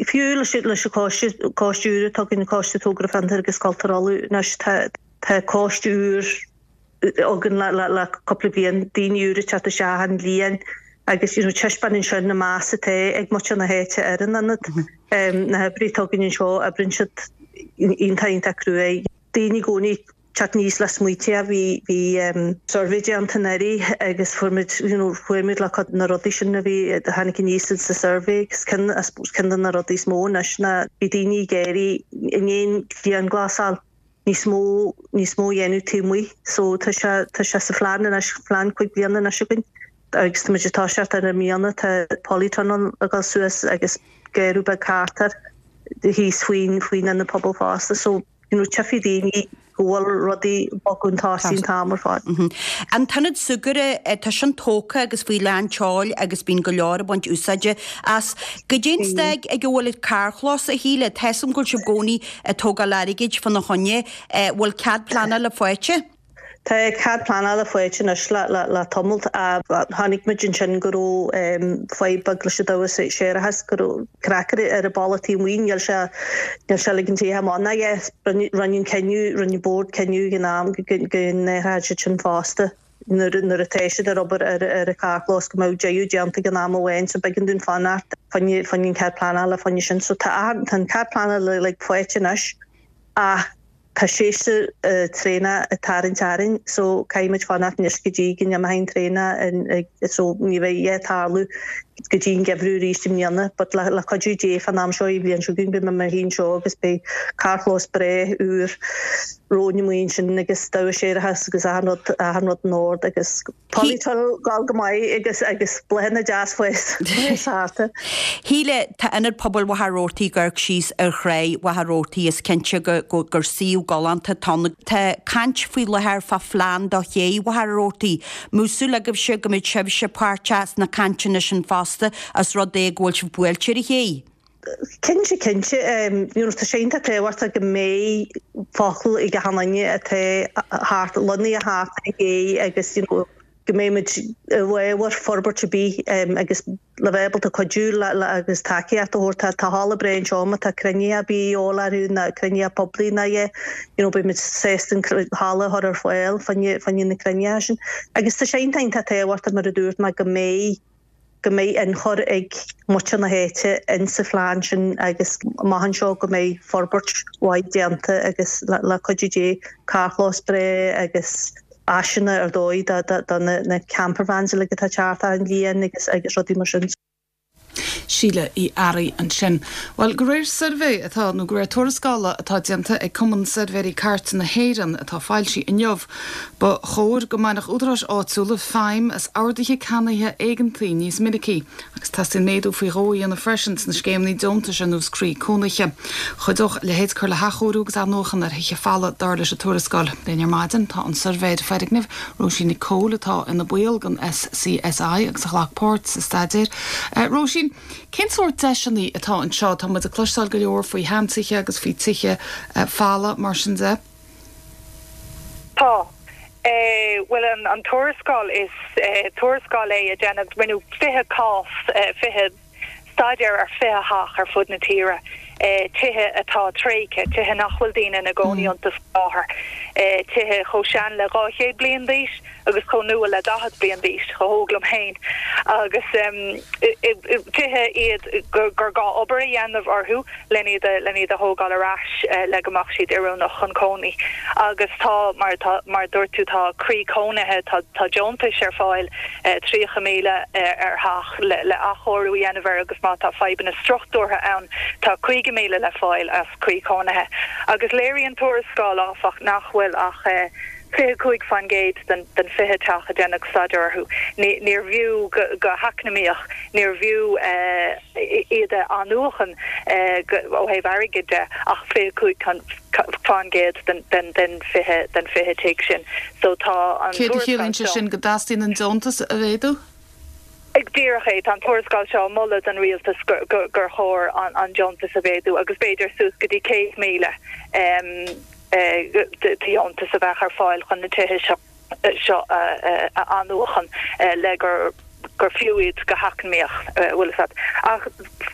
Fiú leis leis an choiste, coiste úr atá againn, Coiste Togra Fiontair agus Cultúir Uladh anois, tá tá coiste úr againn le le le cúpla bliain, daoine úra ag teacht isteach achan bhliain agus you know taispeánann sin an meas atá ag muintir na háite ar an ionad. Na hoibrithe atá againn anseo, oibríonn siad iontach iontach cruaidh. Daoine i gcónaí teacht aníos le smaointe. Bhí bhí suirbhé déanta anuraidh agus fuair muid you know chuaigh muid le cuid de na rudaí sin a bhí a tháinig aníos sa suirbhé agus ceann I suppose ceann de na rudaí is mó anois ná bhí daoine ag iarraidh i ndiaidh an dianghlasáil níos mó níos mó a dhéanamh taobh amuigh so tá sé tá sé sa phlean anois plean 5 bliana anois againn agus tá muid ag toiseacht air i mbliana tá polytunnel ag dul suas agus garraí beag thart air thíos faoin faoin ionad pobail fosta so you know tchífidh daoine go bhfuil rudaí ag bogadh chun tosaigh an t-am ar fad. An t-ionad súgartha, tá sin tógtha agus faoi lán tseoil agus bíonn go leor ag baint úsáide as. Goidé an staid ag a bhfuil an carrchlós, a Shíle? Tá 'fhios a'm go bhfuil sibh i gcónaí ag tógáil airgid fána choinne. Bhfuil cead pleanála faighte? Tá cead pleanála faighte anois le tamall. Chonaic muid ansin go raibh fadhb beag leis an dabhach séarachais, go raibh craicear ar an balla taobh amuigh, níl sé níl sé ag ligean tithe amach ná é. Rinne an cinneadh, rinne an bord cinneadh ag an am go n-athródh siad sin fosta nuair nuair atá siad ar obair ar ar an charrchlós go mbeadh deireadh déanta ag an am amháin so b'éigean dúinn fanacht fá choinne fá choinne an cead pleanála fá choinne sin. So tá tá an cead pleanála like faighte anois ach Tá séasúr traenach ag tarraingt orainn so caithfidh muid fanacht anois go dtí go n-imeoidh an traenach so ní bheidh a dhath ag tarlú go dtí an geimhreadh arís i mbliana but le cuidiú Dé fán am seo an bhliain seo chugainn beidh mé i mo shuí anseo agus beidh carrchlós breá úr romhainn amuigh ansin agus dabhach séarachais agus achan rud achan rud in ord agus Polytunnel ag dul go maith agus agus bláthanna deas fós thart. Shíle, tá Ionad Pobail Mhachaire Rabhartaigh ag amharc síos ar thráigh Mhachaire Rabhartaigh is cinnte go gur suíomh galánta atá ann. Tá caint faoi láthair fá phlean do ché Mhachaire Rabhartaigh. Mbeadh súil agaibhse go mbeadh sibhse páirteach sna cainteanna sin fosta os rud é go bhfuil sibh buailte ar an ché? Cinnte, cinnte. You know, tá sé iontach tábhachtach go mbeidh focal ag achan duine atá thart, lonnaithe thart ar an gcé agus you know, go mbeidh muid i bhfabhar forbairt ar bith agus le bheith ábalta cuidiú le, le agus tacaíocht a thabhairt. Tá, tá halla breá anseo má tá cruinnithe ar bith de dhíobháil orthu ná cruinnithe poiblí ná é, you know, beidh muid sásta an halla a chur ar fáil fá choinne, fá choinne na cruinnithe sin. Agus tá sé iontach, iontach tábhachtach mar a dúirt mé go mbeidh. go mbeidh ionchur ag muintir na háite in sa phlean sin agus amach anseo go mbeidh forbairt mhaith déanta agus le cuidiú Dé carrchlós breá agus áiseanna ar dóigh do na campervans uilig atá ag teacht achan bhliain agus agus rudaí mar sin. Síle Uí Fhearraigh ansin. Bhuel, de réir suirbhé atá, nó de réir tuarascála atá déanta ag Cumann Suirbhéirí Cairte na hÉireann atá foilsithe inniu, ba chóir go mbainfeadh údaráis áitiúla feidhm as orduithe ceannaithe éigeantaí níos minicí agus teastaíonn méadú faoi dhó a dhéanamh freisin sna scéimeanna deontais ar nós Croí Cónaithe. Chuideodh a leithéid cur le hathchóiriú agus athnuachan ar thithe folamh, dar leis an tuarascáil. Linn ar maidin tá an suirbhéir foirgneamh, Róisín Nic Cóil atá ina baill den SCSI agus a ghlac páirt sa staidéar. Róisín, cén sórt deiseanna atá anseo? Tá muid ag cloisteáil go leor faoi sheantithe agus faoi tithe folamh mar sin de. Tá. Bhuel, an tuarascáil, is tuarascáil é a deineadh, rinneadh 20 cás, 20. staidéar ar 20 theach ar fud na tíre, tithe atá tréigthe, tithe nach bhfuil daoine ina gcónaí iontu faoi láthair, tithe chomh sean le 200 bliain d'aois agus chomh nua le 40 bliain d'aois, chomh hóg liom féin, agus tithe iad gur gá obair a dhéanamh orthu len iad len iad a thógáil ar ais le go mbeadh siad oiriúnach chun cónaí. Agus tá, mar tá, mar a dúirt tú, tá croí cónaithe, tá tá deontais ar fáil, 30,000 ar theach le athchóiriú a dhéanamh air agus má tá fadhbanna struchtúrtha ann tá 50,000 le fáil as Croí Cónaithe. Agus léiríonn tuarascáil, áfach, nach bhfuil ach 25% den 20 teach a deineadh staidéar orthu, níorbh fhiú go heacnamaíoch, níorbh fhiú iad a athnuachan ó thaobh airgid de ach 25% den 20 den 20 tigh sin. So tá an Céard a tuarascáil chiallaíonn sé seo. sin? Go dteastaíonn an deontas a mhéadú? Díreach é. Tá an tuarascáil seo ag moladh don rialtas gur chóir an deontas a mhéadú agus b'fhéidir suas go dtí 100,000 de dheontas a bheadh ar fáil chun na tithe seo seo a athnuachan le gur gur fiú iad go heacnamaíoch, bhfuil fhios a't. Ach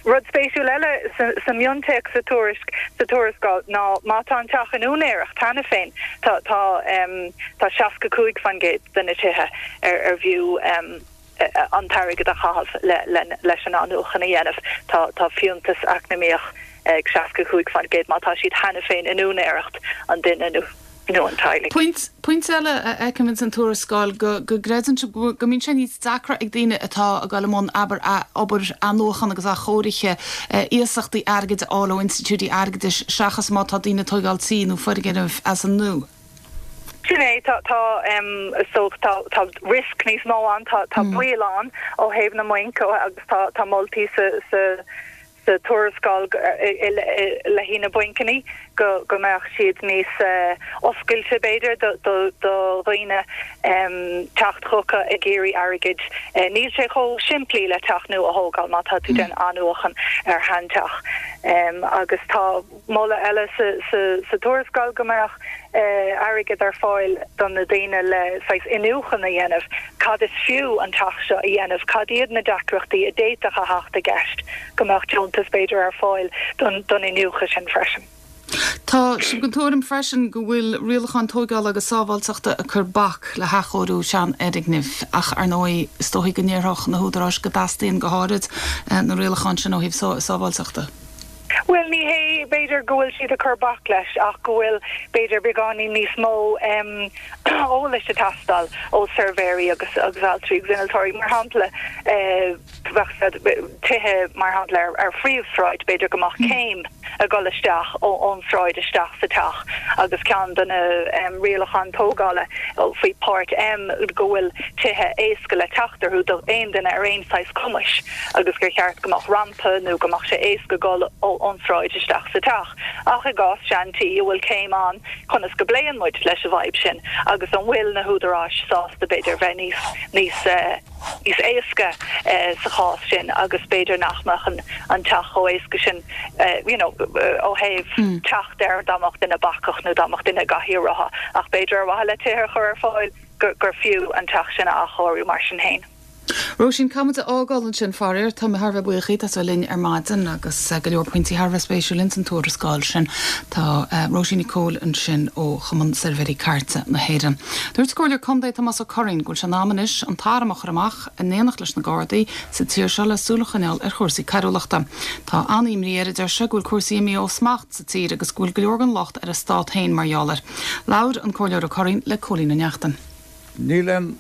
rud spéisiúil eile sa mhiontéacs sa tuairisc, sa tuarascáil ná má tá an teach in úinéireacht cheana féin, tá tá tá 65% de na tithe ar ar bhfiú an t-airgead a chaitheamh le leis an athnuachan a dhéanamh. Tá tá fiúntas eacnamaíoch ag 65% má tá siad cheana féin in úinéireacht an duine nó nó an teaghlaigh. Pointe, pointe eile a fheicim ins an tuarascáil, go, go gcreideann sibh go, go mbíonn sé níos deacra ag daoine atá ag dul i mbun, abair, obair athnuachan agus athchóirithe, iasachtaí airgid a fháil ó institiúidí airgeadais seachas má tá daoine ag tóigeáil tí nó foirgnimh as an nua. Sin é, tá, tá, so tá, tá risk níos mó ann, tá, tá baol ann ó thaobh na mbainc agus tá, tá moltaí sa, sa, sa tuarascáil le haghaidh na bainceanna go mbeadh siad níos oscailte, b'fhéidir, do dhaoine teacht chucu ag iarraidh airgid. Níl sé chomh simplí le teach nua a thógáil má tá tú ag déanamh athnuachan ar sheanteach. Agus tá moladh eile sa tuarascáil go mbeadh airgead ar fáil do na daoine le saghas iniúchadh a dhéanamh, cad is fiú an teach seo a dhéanamh, cad iad na deacrachtaí a d'fhéadfadh a theacht i gceist, go mbeadh deontas b'fhéidir ar fáil don iniúchadh sin freisin. Tá sibh den tuairim freisin go bhfuil rialacháin tóigeála agus sábháilteachta ag cur bac le hathchóiriú seanfhoirgnimh ach, ar ndóigh, is dóichí go ndéarfadh na húdaráis go dteastaíonn go háirid na rialacháin sin ó thaobh sábháilteachta. Bhuel, ní hé, b'fhéidir, go bhfuil siad ag cur bac leis ach go bhfuil, b'fhéidir, beagáinín níos mó eolais ag teastáil ó suirbhéirí agus agus ailtirí agus innealtóirí. Mar shampla, bheadh tithe, mar shampla, ar phríomhshráid, b'fhéidir go mbeadh céim ag dul isteach ón sráid isteach sa teach agus ceann de na rialacháin tógála faoi Páirt M go bhfuil tithe éasca le teacht orthu do aon duine ar aon saghas cumais agus gur cheart go mbeadh rampa nó go mbeadh sé éasca dul ón sráid isteach sa teach. Ach i gcás sean-tí a bhfuil céim ann, conas go bpléann muid leis an bhfadhb sin agus an bhfuil na húdaráis sásta b'fhéidir bheith níos níos níos éasca sa chás sin agus b'fhéidir nach mbeadh an an teach chomh éasca sin you know ó thaobh teacht air dá mbeadh duine bacach nó dá mbeadh duine i gcathaoir rotha ach b'fhéidir ar mhaithe le tithe a chur ar fáil gur gur fiú an teach sin a athchóiriú mar sin féin. Róisín, caithfidh muid a fhágáil ansin, faraor. Tá mé thar a bheith buíoch díot as a bheith linn ar maidin agus go leor pointí thar a bheith spéisiúil ins an tuarascáil sin. Tá Róisín Nic Cóil ansin ó Chumann Suirbhéirí Cairte na hÉireann. Dúirt an Comhairleoir Contae Tomás Ó Curraoin go bhfuil sé in am anois an t-arm a chur amach in éineacht leis na Gardaí sa tír seo le súil a choinneáil ar chúrsaí coiriúlachta. Tá an-imní air, a deir sé, go bhfuil cúrsaí imithe ó smacht sa tír agus go bhfuil go leor den locht ar an stát féin mar gheall air. Labhair an Comhairleoir Ó Curraoin le Cóilín Ó Neachtain. Níl aon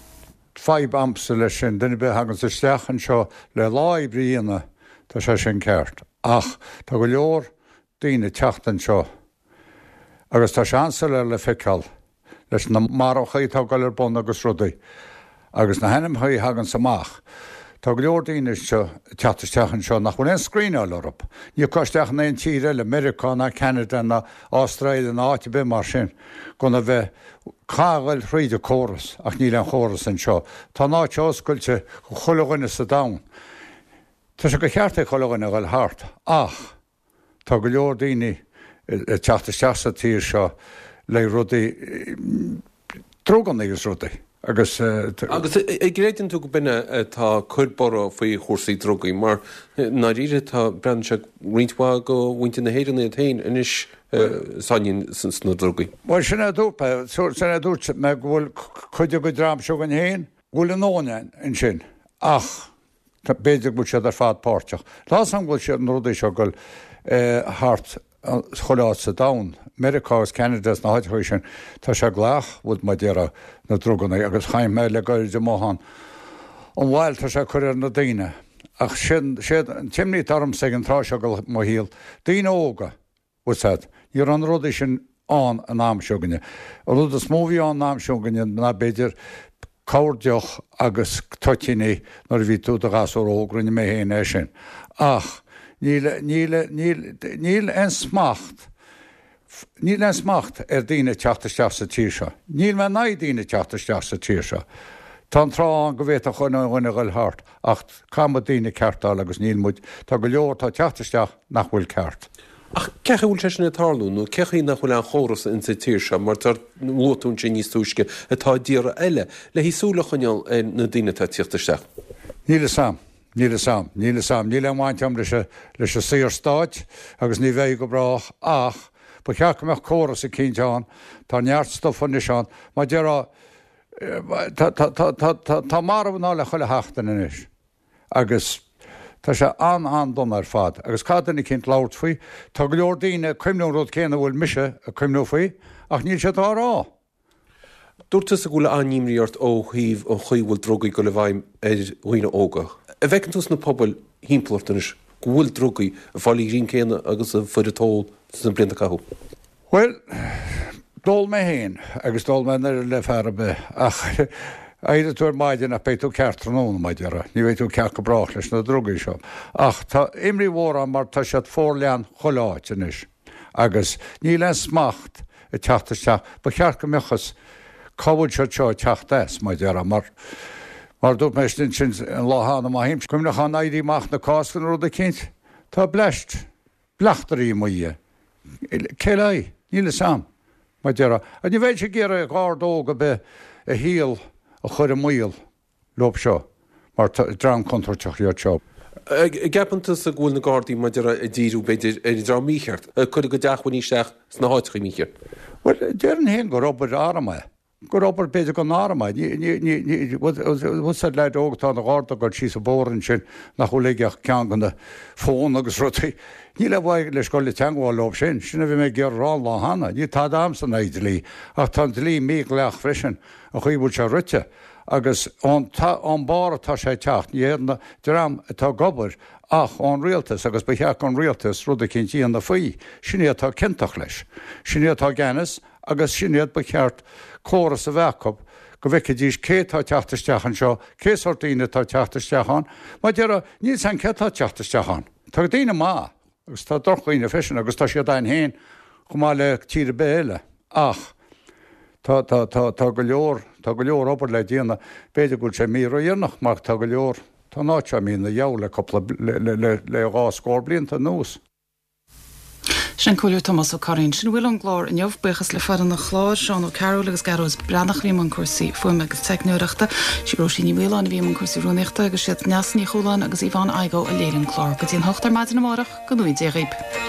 fadhb a'msa leis sin, duine ar bith a thaganns isteach anseo le lá oibre a dhéanamh, tá sé sin ceart. Ach tá go leor daoine ag teacht anseo agus tá sé an-soiléir le feiceáil leis na marachaí atá ag dul ar bun agus rudaí agus na hainmneachaí a thaganns amach. Tá go leor daoine anseo ag teacht isteach anseo nach bhfuil aon scríneáil orthu. Ní thiocfá isteach in aon tír eile, Meiriceá ná Ceanada ná Astráil ná áit ar bith mar sin, gan a bheith, caithfidh a ghoil thríd an córas ach níl aon chóras anseo. Tá an áit seo oscailte do chuile dhuine sa domhan. Tá sé go cheart ag chuile dhuine a ghoil thart ach tá go leor daoine ag teacht isteach sa tír seo le rudaí, druganna agus rudaí agus. Agus an gcreideann tú go b'in é atá ag cur borradh faoi chúrsaí drugaí mar i ndáiríre tá, breathnaíonn sé roinnt mhaith de mhuintir na hÉireann iad féin anois sáinnithe sna drugaí. Bhuel sin é a dúirt mé, sin é a dúirt mé go bhfuil cuid den dream seo againn féin go bhfuil a ndóthain ansin ach B'fhéidir go bhfuil siad ar fad páirteach. Tá a fhios agam go bhfuil siad, na rudaí seo ag dul thart chuile áit sa domhan, Meiriceá agus Ceanada is na háiteachaí sin, tá sé gleách, bhuel mar a déarfá, na druganna agus chaint mé le gairid amuigh ann, an bhail tá sé ag cur ar na daoine. Ach sin, sé an t-imní atá ormsa ag an tráth seo de mo shaol, daoine óga, Bhfuil a fhios agat, ní raibh na rudaí sin ann an am seo againne. An rud is mó a bhí ann an am seo againne ná b'fhéidir corr deoch agus toitíní nuair a bhí tú i do ghasúr óg, rinne mé féin é sin. Ach níl, níl, níl, níl aon smacht, níl aon smacht ar daoine ag teacht isteach sa tír seo. Níl mé in aghaidh daoine ag teacht isteach sa tír seo. Tá an tráth ann go bhféadfadh chuile dhuine a dhul thart ach caithfidh muid daoine a ceartáil agus níl muid, tá go leor atá ag teacht isteach nach bhfuil ceart. Ach cén chaoi a bhfuil sé sin ag tarlú, nó cén chaoi nach bhfuil aon chóras insa tír seo, mar a luaigh tú ansin níos túisce, atá i dtíortha eile, le haghaidh súil a choinneáil ar na daoine atá ag tíocht isteach? Níl fhios a'm. Níl fhios a'm. Níl fhios a'm. Níl aon bhaint a'm leis an, leis an Saorstát agus ní bheidh go brách ach ba cheart go mbeadh córas eicínt ann. Tá neart stuif anois ann. Mar déarfá, tá, tá, tá, tá, tá, tá marbh i ndáil le chuile sheachtain anois. Agus tá sé an-an-dona ar fad. Agus caithfidh duine eicínt labhairt faoi. Tá go leor daoine ag cuimhniú an rud céanna a bhfuil mise ag cuimhniú faoi, ach níl siad á rá. Dúirt tusa go bhfuil an-imní ort ó thaobh an chaoi a bhfuil drugaí ag dul i bhfeidhm ar dhaoine óga. An bhfeiceann tú sna pobail thimpeall ort anois go bhfuil drugaí ag fáil an ghreim céanna agus a fuair an t-ól sna blianta a caitheadh? Bhuel, d'ól mé féin agus d'ól mé an oiread le fear ar bith ach éireoidh tú ar maidin ach beidh tú ceart tráthnóna, mar a déarfá. Ní bheidh tú ceart go brách leis na drugaí seo. Ach tá imní mhór ann mar tá siad forleathan chuile áit anois agus níl aon smacht ag teacht isteach. Ba cheart go mbeadh fhios cá bhfuil siad seo ag teacht as, mar a déarfá, mar mar a dúirt mé ansin an lá cheana, má théimse cuimhneachán Éirí Amach na Cásca nó rud eicínt, tá bleaist. Bleachtairí i mo dhiaidh. Cé le haghaidh? Níl fhios a'm, mar déarfá. Ach ní bheinnse ag iarraidh garda óg ar bith a shaol a chur i mbaol leob seo, mar dream contúirteach iad seo. An gceapann tusa go bhfuil na Gardaí, mar déarfá, ag díriú, b'fhéidir, ar an dream mícheart, ag cur a gcuid acmhainní isteach sna háiteacha mícheart? Bhuel, déarfainn féin gur obair arm é. gur obair b'fhéidir don arm é. Bhfuil fhios a'd leaid óg atá ina gharda ag dul síos an bóthar ansin nach bhfuil aige ach ceann de na fón agus rudaí. Níl aon mhaith leis dul i teangmháil leob sin. Sin a bhí mé ag iarraidh a rá an lá cheana. Níl tada a'msa in aghaidh dlí ach tá an dlí mídhleathach freisin, an chaoi a bhfuil sé rite. Agus ón ón barr atá sé ag teacht, ní hé an dream atá ag obair ach ón rialtas agus ba cheart don rialtas rud eicínt a dhéanamh faoi. Sin iad atá ciontach leis. Sin iad atá i gceannas agus sin iad ba cheart córas a bheith acu go bhfeicfidís cé atá ag teacht isteach anseo, cé sórt daoine atá ag teacht isteach ann. Mar déarfá, níl 's a'm cé atá ag teacht isteach ann. Tá daoine maith agus tá drochdhaoine freisin agus tá siad a'inn féin chomh maith le tír ar bith eile ach tá, tá, tá, tá go leor, tá go leor obair le déanamh. B'fhéidir go bhfuil sé imithe ródheireanach mar tá go leor, tá an áit seo imithe ina gheall le cúpla, le, le, le, le dhá scór blianta anuas. Sin an Comhairleoir Tomás Ó Curraoin. Sin a bhfuil ón gclár inniu. Buíochas le foireann an chláir, Seán Ó Cearúil agus Gearóid Breathnach a bhí i mbun cúrsaí fuaime agus teicneoireachta. Sí Róisín Ní Mhaoláin a bhí i mbun cúrsaí rúnaíochta agus siad Neasa Ní Chualáin agus Yvonne Igoe a léirigh an clár. Go dtí an hocht ar maidin amárach, go ngnóthaí Dia dhaoib.